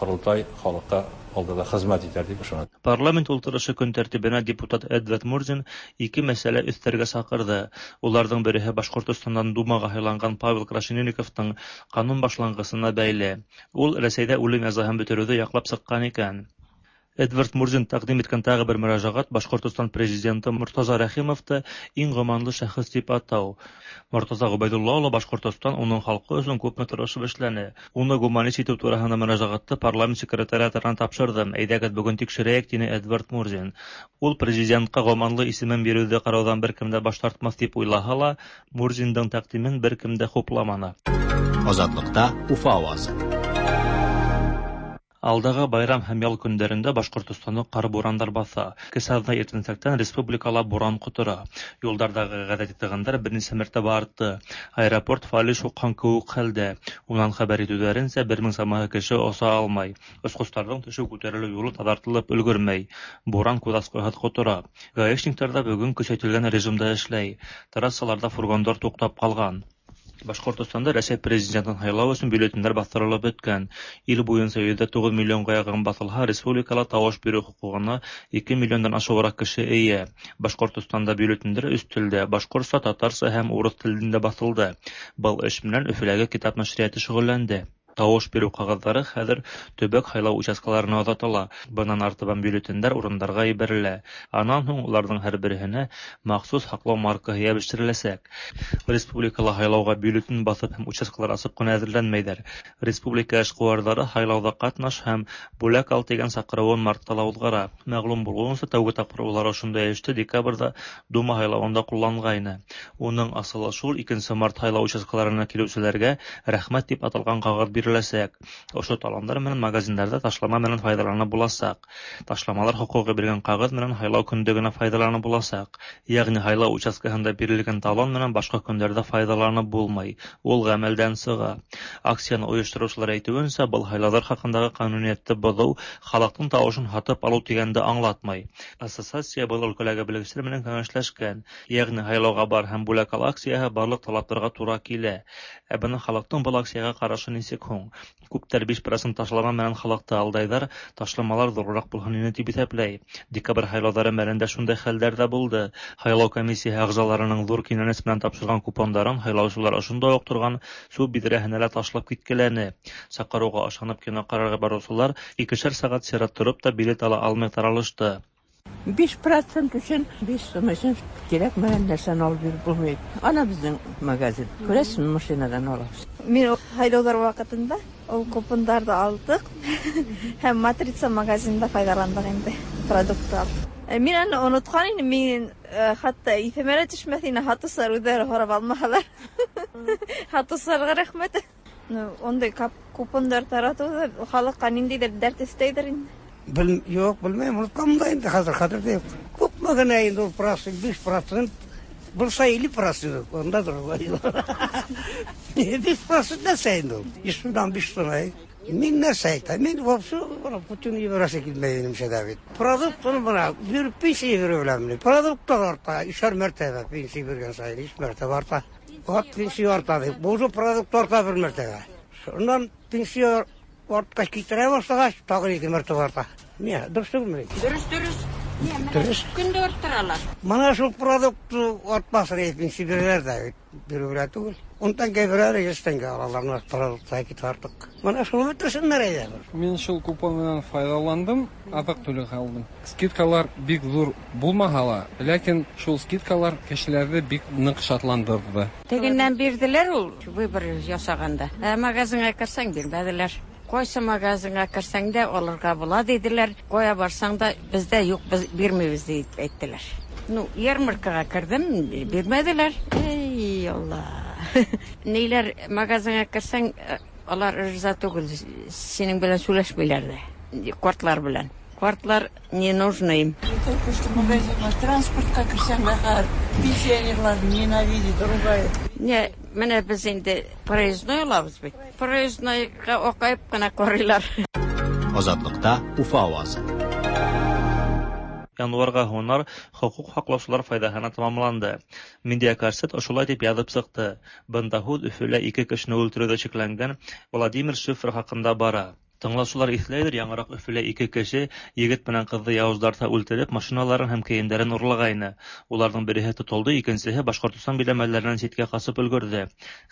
Корылтай халыкка алдында хезмәт итәр дип ышанам. Парламент ултырышы көн тәртибенә депутат Эдвард Мурзин ике мәсьәлә өҫтәргә саҡырҙы. Уларҙың береһе Башҡортостандан Думаға һайланған Павел Крашенинниковтың ҡанун башланғысына бәйле. Ул Рәсәйҙә үлем язаһын бөтөрөүҙе яҡлап сыҡҡан икән. Эдвард Мурзин тәҡдим иткән тағы бер мөрәжәғәт Башҡортостан президенты Мортаза Рәхимовты иң гуманлы шәхес тип атау. Мортаза Ғөбәйҙулла улы Башҡортостан уның халҡы өсөн күпме тырышып эшләне. Уны гуманист итеү тураһында мөрәжәғәтте парламент секретариатына тапшырҙым. Әйҙәгеҙ бөгөн тикшерәйек, тине Эдвард Мурзин. Ул президентҡа гуманлы исемен биреүҙе ҡарауҙан бер кем дә баш тартмаҫ тип уйлаһа ла, Мурзиндың тәҡдимен бер кем дә хупламаны. Азатлыҡта Уфа ауазы. Алдағы байрам һәм ял көндәрендә Башҡортостанды ҡар бурандар баҫа. Кесә аҙна иртәнсәктән республикала буран ҡотора. Юлдарҙағы ғәҙәти тығындар бер нисә мәртәбә артты. Аэропорт фалиш һуҡҡан кеүек хәлдә. Унан хәбәр итеүҙәренсә, 1000 самаһы кеше оса алмай. Осҡостарҙың төшөү күтәрелеү юлы таҙартылып өлгөрмәй. Буран күҙ асҡыһыҙ ҡотора. Гаишниктар ҙа бөгөн көсәйтелгән режимда эшләй. Трассаларҙа фургондар туҡтап ҡалған. Башҡортостанда Рәсәй президентын һайлау өсөн бюллетендәр баҫтырылып бөткән. Ил буйынса 109 миллионға яҡын баҫылһа, республикала тауыш биреү хоҡуғына 2 миллиондан ашыуыраҡ кеше эйә. Башҡортостанда бюллетендәр өс телдә: башҡортса, татарса һәм урыҫ телендә баҫылды. Был эш менән Өфөләге китап нәшриәте шөғөлләнде. Тауыш биреү ҡағыҙҙары хәҙер төбәк һайлау участкаларына оҙатыла. Бынан артабан бюллетендәр урындарға ебәрелә. Анан һуң уларҙың һәр береһенә махсус һаҡлау маркаһы йәбештереләсәк. Республикала һайлауға бюллетен баҫып һәм участкалар асып ҡына әҙерләнмәйҙәр. Республика эшҡыуарҙары һайлауҙа ҡатнаш һәм бүләк ал тигән саҡырыуын мартта ла уҙғара. Мәғлүм булыуынса, тәүге тапҡыр улар ошондай эште декабрҙә Дума һайлауында ҡулланғайны. Уның асылы шул: 2 март һайлау участкаларына килеүселәргә рәхмәт тип аталған ҡағыҙ биреләсәк. Ошо талондар менән магазиндарҙа ташлама менән файҙаланып буласаҡ. Ташламалар хоҡуғы биргән ҡағыҙ менән һайлау көндө генә файҙаланып буласаҡ. Йәғни һайлау участкаһында бирелгән талон менән башҡа көндәрҙә файҙаланып булмай. Ул ғәмәлдән сыға. Акцияны ойоштороусылар әйтеүенсә, был һайлауҙар хаҡындағы ҡануниәтте боҙоу халыҡтың тауышын һатып алыу тигәнде аңлатмай. Ассоциация был өлкәләге белгестәр менән кәңәшләшкән. Йәғни һайлауға бар һәм бүләк ал акцияһы барлыҡ талаптарға тура килә. Ә бына халыҡтың был акцияға ҡарашы нисек һуң? Күптәр 5% ташлама менән халыҡты алдайҙар, ташламалар ҙурыраҡ булһын ине тип иҫәпләй. Декабрь һайлауҙары мәлендә шундай хәлдәр ҙә булды. Һайлау комиссияһы ағзаларының ҙур кинәнес менән тапшырған купондарын һайлаусылар ошонда уҡ торған сүп биҙрәһенә лә ташлап киткеләне. Саҡырыуға ышанып кино ҡарарға барыусылар 2 сәғәт сират тороп та билет ала алмай таралышты. 5% өчен, 5 сум өчен кирәкмәгән нәрсәне алып биреп булмай. Ана безнең магазин. Күрәсезме, машинадан алабыз. Мин һайлауҙар ваҡытында ул купондарҙы алдыҡ һәм Матрица магазинында файҙаландыҡ инде продукт алып. Мин аны онотҡан инем, мин хатта иҫемә лә төшмәҫ ине, һатыусылар үҙҙәре һорап алмаһалар. Һатыусыларға рәхмәт. Ундай купондар таратыуҙа халыҡҡа ниндәйҙер дәрт өҫтәйҙер инде. Юҡ, белмәйем, онотҡанмын да инде хәҙер, хәтерҙә юҡ. Күпме генә инде ул процент, 5% булса 50% унда 5% нәрсә инде ул? 100 сумдан 5 сум. Мин нәрсә әйтәм? Мин вообще Путин ебәрәсе килмәй минемсә дә бит. Продуктны бына биреп пенсия бирә беләм. Продуктлар арта, 3 мәртәбә пенсия биргән сайын 3 мәртәбә арта. Вот пенсия арта дип. Бу уже продукт арта бер мәртәбә. Шуннан пенсия артҡас китерә башлағас, тағы 2 мәртәбә арта. Ни, дөрөҫ түгелме? Дөрөҫ, дөрөҫ. Дөрес. Көн дә арттыралар. Менә шул продукт артмасын әйтмим, бирәләр дә бит. Бирү белән түгел. Ун тәңкә бирәләр, 100 тәңкә алалар, менә продукт китә артык. Менә шуны бетерсеннәр әйдә. Мин шул купон белән файдаландым, азык-төлек алдым. Скидкалар бик зур булмаһа ла, ләкин шул скидкалар кешеләрне бик нык шатландырды. Тегеннән бирделәр ул выбор ясаганда. Ә магазинга керсәң бирмәделәр. Кайсы магазинга керсәң дә алырга була диделәр. Кая барсаң да бездә юк, без бирмибез дип әйттеләр. Ну, ярмаркага кердем, бирмәделәр. Эй, Алла. Ниләр магазинга керсәң, алар риза түгел, синең белән сөйләшмиләр дә. Картлар белән. Картлар не нужны им. Только что магазинга, транспортка керсәң дә пенсионерлар ненавидит, ругает. Не, менә без инде проездной алабыз бит. Проезднойга акаеп кына карыйлар. Азатлыкта Уфа авазы. Январга һунар хокук һаклаучылар файдаһына тамамланды. Медиакорсет ошолай дип язып чыкты. Бында һүҙ Өфөлә ике кешене үлтереүҙә шикләнгән Владимир Шифер хаҡында бара. Тыңлаусылар иҫләйҙер, яңыраҡ Өфөлә ике кеше егет менән ҡыҙҙы яуыздарса үлтереп, машиналарын һәм кейемдәрен урлағайны. Уларҙың береһе тотолдо, икенсеһе Башҡортостан биләмәләренән ситкә ҡасып өлгөрҙө.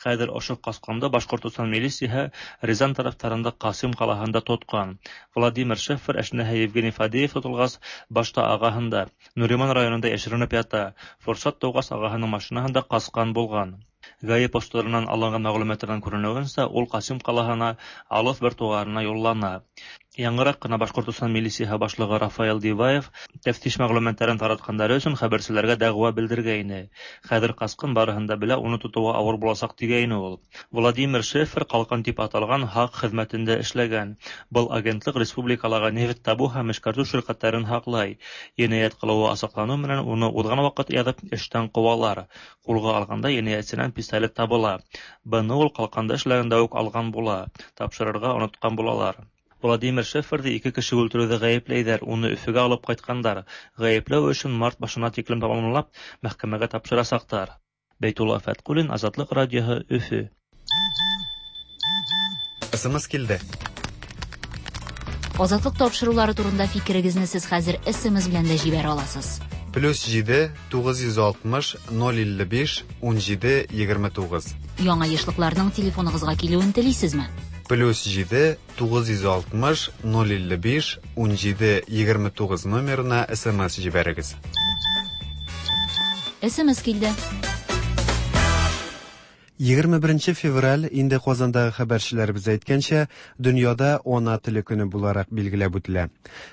Хәҙер ошо ҡасҡанды Башҡортостан милицияһы Рязань тарафтарында Ҡасим ҡалаһында тотҡан. Владимир Шефер әшнәһе Евгений Фадеев тотолғас, башта ағаһында Нуриман районында йәшеренеп ята. Форсат тыуғас ағаһының машинаһында ҡасҡан булған. ГАИ посттарынан алынған мәғлүмәттәрҙән күренеүенсә, ул Ҡасим ҡалаһына алыҫ бер туғанына юллана. Яңыраҡ ҡына Башҡортостан милицияһы башлығы Рафаэл Диваев тәфтиш мәғлүмәттәрен таратҡандары өсөн хәбәрселәргә дәғүә белдергәйне. Хәҙер ҡасҡын барыһын да белә, уны тотоуға ауыр буласаҡ тигәйне ул. Владимир Шефер ҡалҡан тип аталған һаҡ хеҙмәтендә эшләгән. Был агентлык республикалағы нефть табыу һәм эшкәртеү ширкәттәрен һаҡлай. Енәйәт ҡылыуы асыҡланыу менән уны уҙған ваҡыт яҙып эштән ҡыуалар. Ҡулға алғанда енәйәтсенән пистолет табыла. Быны ул ҡалҡанда эшләгәндә үк алған була, тапшырырға онотҡан булалар. Владимир Шеферҙы ике кеше үлтереүҙә ғәйепләйҙәр, уны Өфөгә алып ҡайтҡандар. Ғәйепләү эшен март башына тиклем тамамлап, мәхкәмәгә тапшырасаҡтар. Бәйтулла Фәтҡуллин, Азатлыҡ радиоһы, Өфө. СМС килде. Азатлык тапшырулары турында фикерегезне сез хәзер СМС белән дә җибәрә аласыз. +7 960 055 17 29. Яңа ешлыкларның телефоныгызга килүен телисезме? +7 960 055 17 29 номерына СМС җибәрегез. СМС килде. 21 февраль инде Казандагы хәбәрчеләребез әйткәнчә, дөньяда ана теле көне буларак билгеләп үтелә.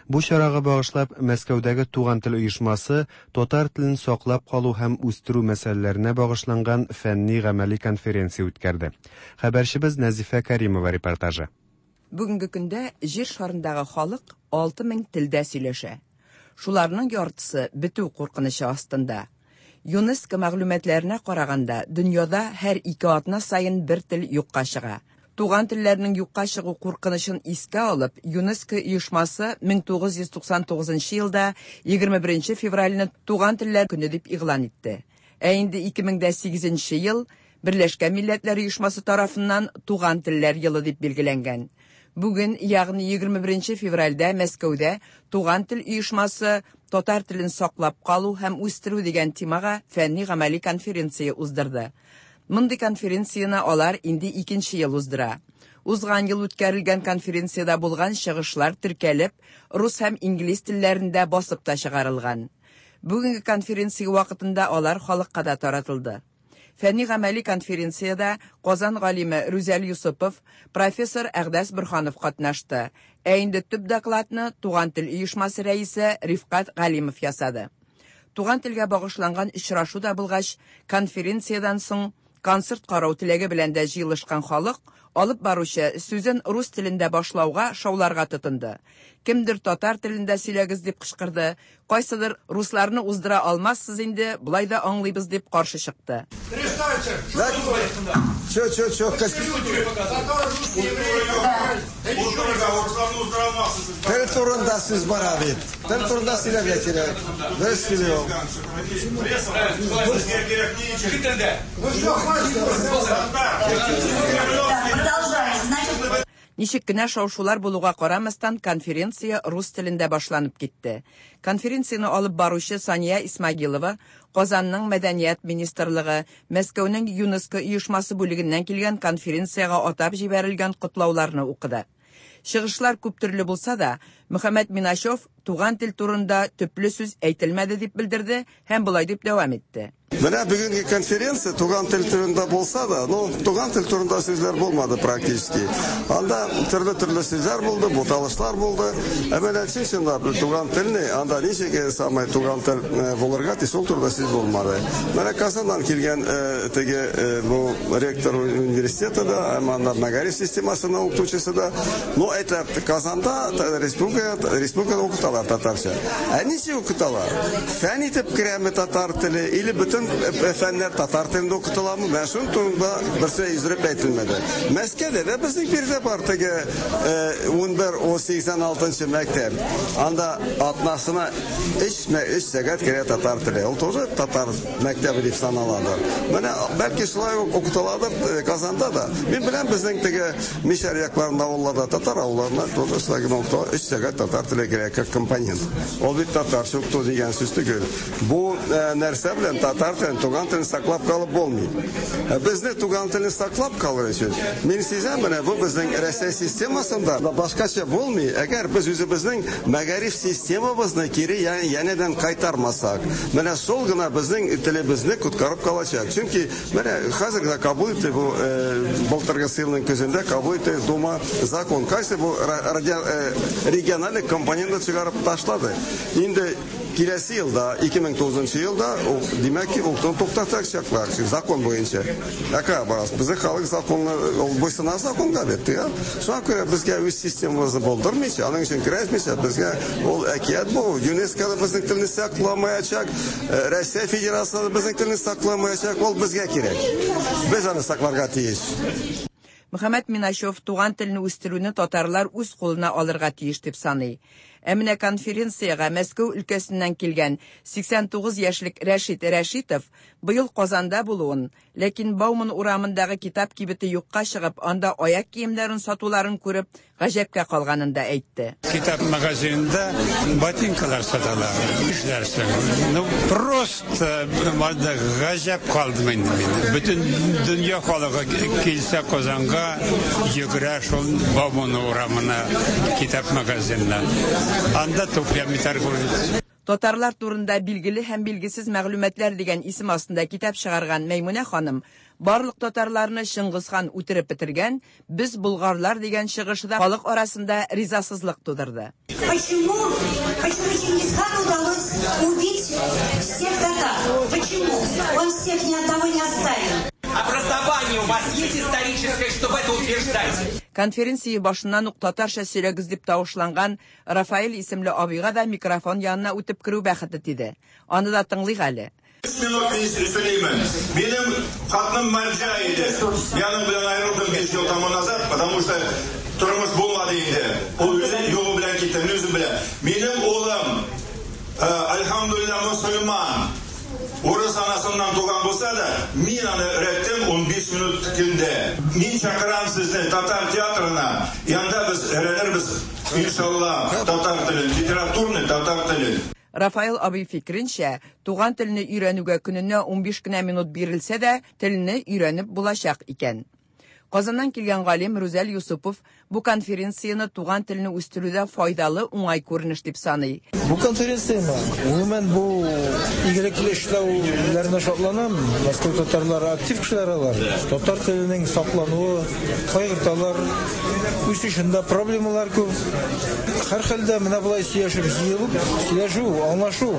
Бу чарага багышлап Мәскәүдәге Туган тел оешмасы татар телен саклап калу һәм үстерү мәсьәләләренә багышланган фәнни-гамәли конференция үткәрде. Хәбәрчебез Нәзифә Каримова репортажы. Бүгенге көндә җир шарындагы халык 6000 телдә сөйләшә. Шуларның яртысы бетү куркынычы астында. ЮНЕСКО мәгълүматларына караганда, дөньяда һәр ике атна саен бер тел юкка чыга. Туган телләрнең юкка чыгу куркынычын искә алып, ЮНЕСКО оешмасы 1999 елда 21 февральне Туган телләр көне дип игълан итте. Ә инде 2008 ел Берләшкән Милләтләр Оешмасы тарафыннан Туган телләр елы дип билгеләнгән. Бүген, ягъни 21 февральдә Мәскәүдә Туган тел оешмасы татар телен саклап калу һәм үстерү дигән темага фәнни-гамәли конференция уздырды. Мондый конференцияне алар инде икенче ел уздыра. Узган ел үткәрелгән конференциядә булган чыгышлар теркәлеп, рус һәм инглиз телләрендә басып та чыгарылган. Бүгенге конференция вакытында алар халыкка да таратылды. Фәнни-гамәли конференциядә Казан галиме Рүзәл Юсупов, профессор Әгъдәс Борһанов катнашты. Ә инде төп докладны Туган тел оешмасы рәисе Рифкать Галимов ясады. Туган телгә багышланган очрашу да булгач, конференциядән соң концерт карау теләге белән дә җыелышкан халык алып баручы сүзен рус телендә башлауга шауларга тотынды. Кемдер татар телендә сөйләгез дип кычкырды, кайсыдыр русларны уздыра алмассыз инде, болай да аңлыйбыз дип каршы чыкты. Чё, чё, чё? Тел турында сүз бара бит. Тел турында сөйләргә кирәк. Дөрес сөйләү. Ничек кенә шау-шулар булуга карамастан, конференция рус телендә башланып китте. Конференцияне алып баручы Сания Исмагилова Казанның Мәдәният министрлыгы, Мәскәүнең ЮНЕСКО оешмасы бүлегеннән килгән конференциягә атап җибәрелгән котлауларны укыды. Чыгышлар күп төрле булса да, Мөхәммәт Миначев туган тел турында төпле сүз әйтелмәде дип белдерде һәм болай дип дәвам итте. Менә бүгенге конференция туган тел турында булса да, ну, туган тел турында сүзләр булмады практически. Анда төрле-төрле сүзләр булды, буталышлар булды. Ә менә чын-чынлап туган телне, анда ничек э, самый туган тел э, булырга тиеш, ул турында сүз булмады. Менә Казаннан килгән э, теге бу ректор университета да, һәм анда мәгариф системасының укытучысы да, ну, әйтә, Казанда республика, республикада укыталар татарча. Ә ничек укыталар? Фән итеп керәме татар теле или бөтен фәннәр татар телендә укытыламы? Менә шуның турында берсе өздереп әйтелмәде. Мәскәүдә дә безнең биредә бар теге 11-86 мәктәп. Анда атнасына 3 сәгать керә татар теле. Ул тоже татар мәктәбе дип саналадыр. Менә бәлки шулай ук укытыладыр Казанда да. Мин беләм, безнең теге Мишәр якларында авылларда татар авылларында тоже шулай гына укытыла. 3 сәгать татар теле керә как компонент. Ул бит татарча укыту дигән сүз түгел. Бу нәрсә белән татар телен, туган телен саклап калып булмый. Безне туган телне саклап калыр өчен, мин сизәм, менә бу безнең Рәсәй системасында башкача булмый, әгәр без үзебезнең мәгариф системабызны кире янәдән кайтармасак. Менә шул гына безнең телебезне коткарып калачак. Чөнки менә хәзер генә кабул итте бу былтыргы елның көзендә кабул итте Дума закон. Кайсы бу региональный компонентны чыгарып ташлады. Инде киләсе елда, 2009 елда, ул, димәк ки, укытуны туктатачаклар, закон буенча. Ә кая барасыз? Безнең халык законны, ул буйсына законга бит, я? Шуңа күрә безгә үз системабызны булдырмыйча, аның өчен көрәшмичә, безгә ул әкият бу. ЮНЕСКО да безнең телне сакламаячак, Россия Федерациясе да безнең телне сакламаячак, ул безгә кирәк. Без аны сакларга тиеш. Мөхәммәт Миначев туган телне үстерүне татарлар үз кулына алырга тиеш дип саный. Ә менә конференциягә Мәскәү өлкәсеннән килгән 89 яшьлек Рәшит Рәшитов быел Казанда булуын, ләкин Бауман урамындагы китап кибете юкка чыгып, анда аяк киемнәрен сатуларын күреп, гаҗәпкә калганын да әйтте. Китап магазинында ботинкалар саталар. Нишләрсең? Ну, просто гаҗәп калдым инде мин. Бөтен дөнья халыгы килсә Казанга, йөгерә шул Бауман урамына, китап магазинына. Анда туфлями торгуют. Татарлар турында билгеле һәм билгесез мәгълүматлар дигән исем астында китап чыгарган Мәймүнә ханым барлык татарларны Чыңгыз хан үтереп бетергән, без болгарлар дигән чыгышы да халык арасында ризасызлык тудырды. Почему, почему Чингисхану удалось убить всех татар? Почему? Он всех ни одного не оставил. Образование у вас есть историческое, чтобы это утверждать? Конференция башыннан ук татарча сөйләгез дип тавышланган Рафаэль исемле абыйга да микрофон янына үтеп керү бәхете тиде. Аны да тыңлыйк әле. Өч минут сөйлимен. Минем хатыным марҗа иде. Мин аның белән аерылдым 5 ел тому назад, потому что тормыш булмады инде. Ул үзе юлы белән китте, мин үзем белән. Минем улым, альхамдулилла, мөселман. Урыс анасыннан туган булса да, мин аны өйрәттем 15 минут көндә. Мин чакырам сезне татар театрына, янда без өйрәнербез, иншалла, татар телен, литературный татар телен. Рафаэл абый фикеренчә, туган телне өйрәнүгә көненә 15 кенә минут бирелсә дә, телне өйрәнеп булачак икән. Казаннан килгән галим Рүзәл Юсупов бу конференцияне туган телне үстерүдә файдалы, уңай күренеш дип саный. Бу конференцияме? Гомумән, бу игелекле эшләүләренә шатланам. Мәскәү татарлары актив кешеләр алар. Татар теленең саклануы кайгырталар. Үсешендә проблемалар күп. Һәрхәлдә менә болай сөйләшеп җыелып, сөйләшү, аңлашу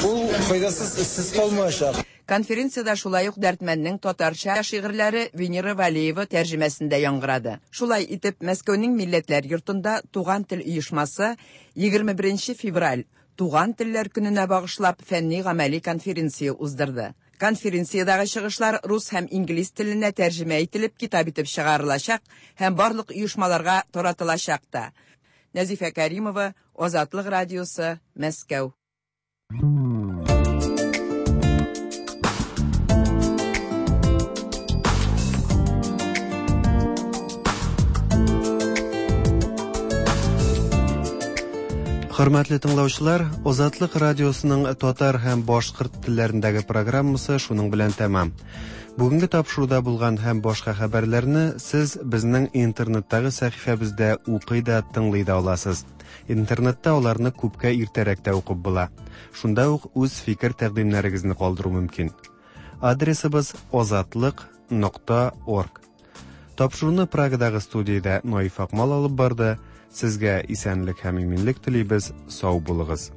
ул файдасыз, эзсез калмаячак. Конференциядә шулай ук Дәрдмәнднең татарча шигырьләре Венера Вәлиева тәрҗемәсендә яңгырады. Шулай итеп, Мәскәүнең Милләтләр йортында Туган тел оешмасы 21 нче февраль, Туган телләр көненә багышлап фәнни-гамәли конференция уздырды. Конференциядәге чыгышлар рус һәм инглиз теленә тәрҗемә ителеп китап итеп чыгарылачак һәм барлык оешмаларга таратылачак та. Нәзифә Кәримова, Азатлык радиосы, Мәскәү. Хөрмәтле тыңлаучылар, Азатлык радиосының татар һәм башкорт телләрендәге программасы шуның белән тәмам. Бүгенге тапшыруда булган һәм башка хәбәрләрне сез безнең интернеттагы сәхифәбездә укый да, тыңлый да аласыз. Интернетта аларны күпкә иртәрәк тә укып була. Шунда ук үз фикер-тәкъдимнәрегезне калдыру мөмкин. Адресыбыз azatliq.org. Тапшыруны Прагадагы студиядә Наиф Акмал алып барды. Сезгә исәнлек һәм иминлек телибез. Сау булыгыз.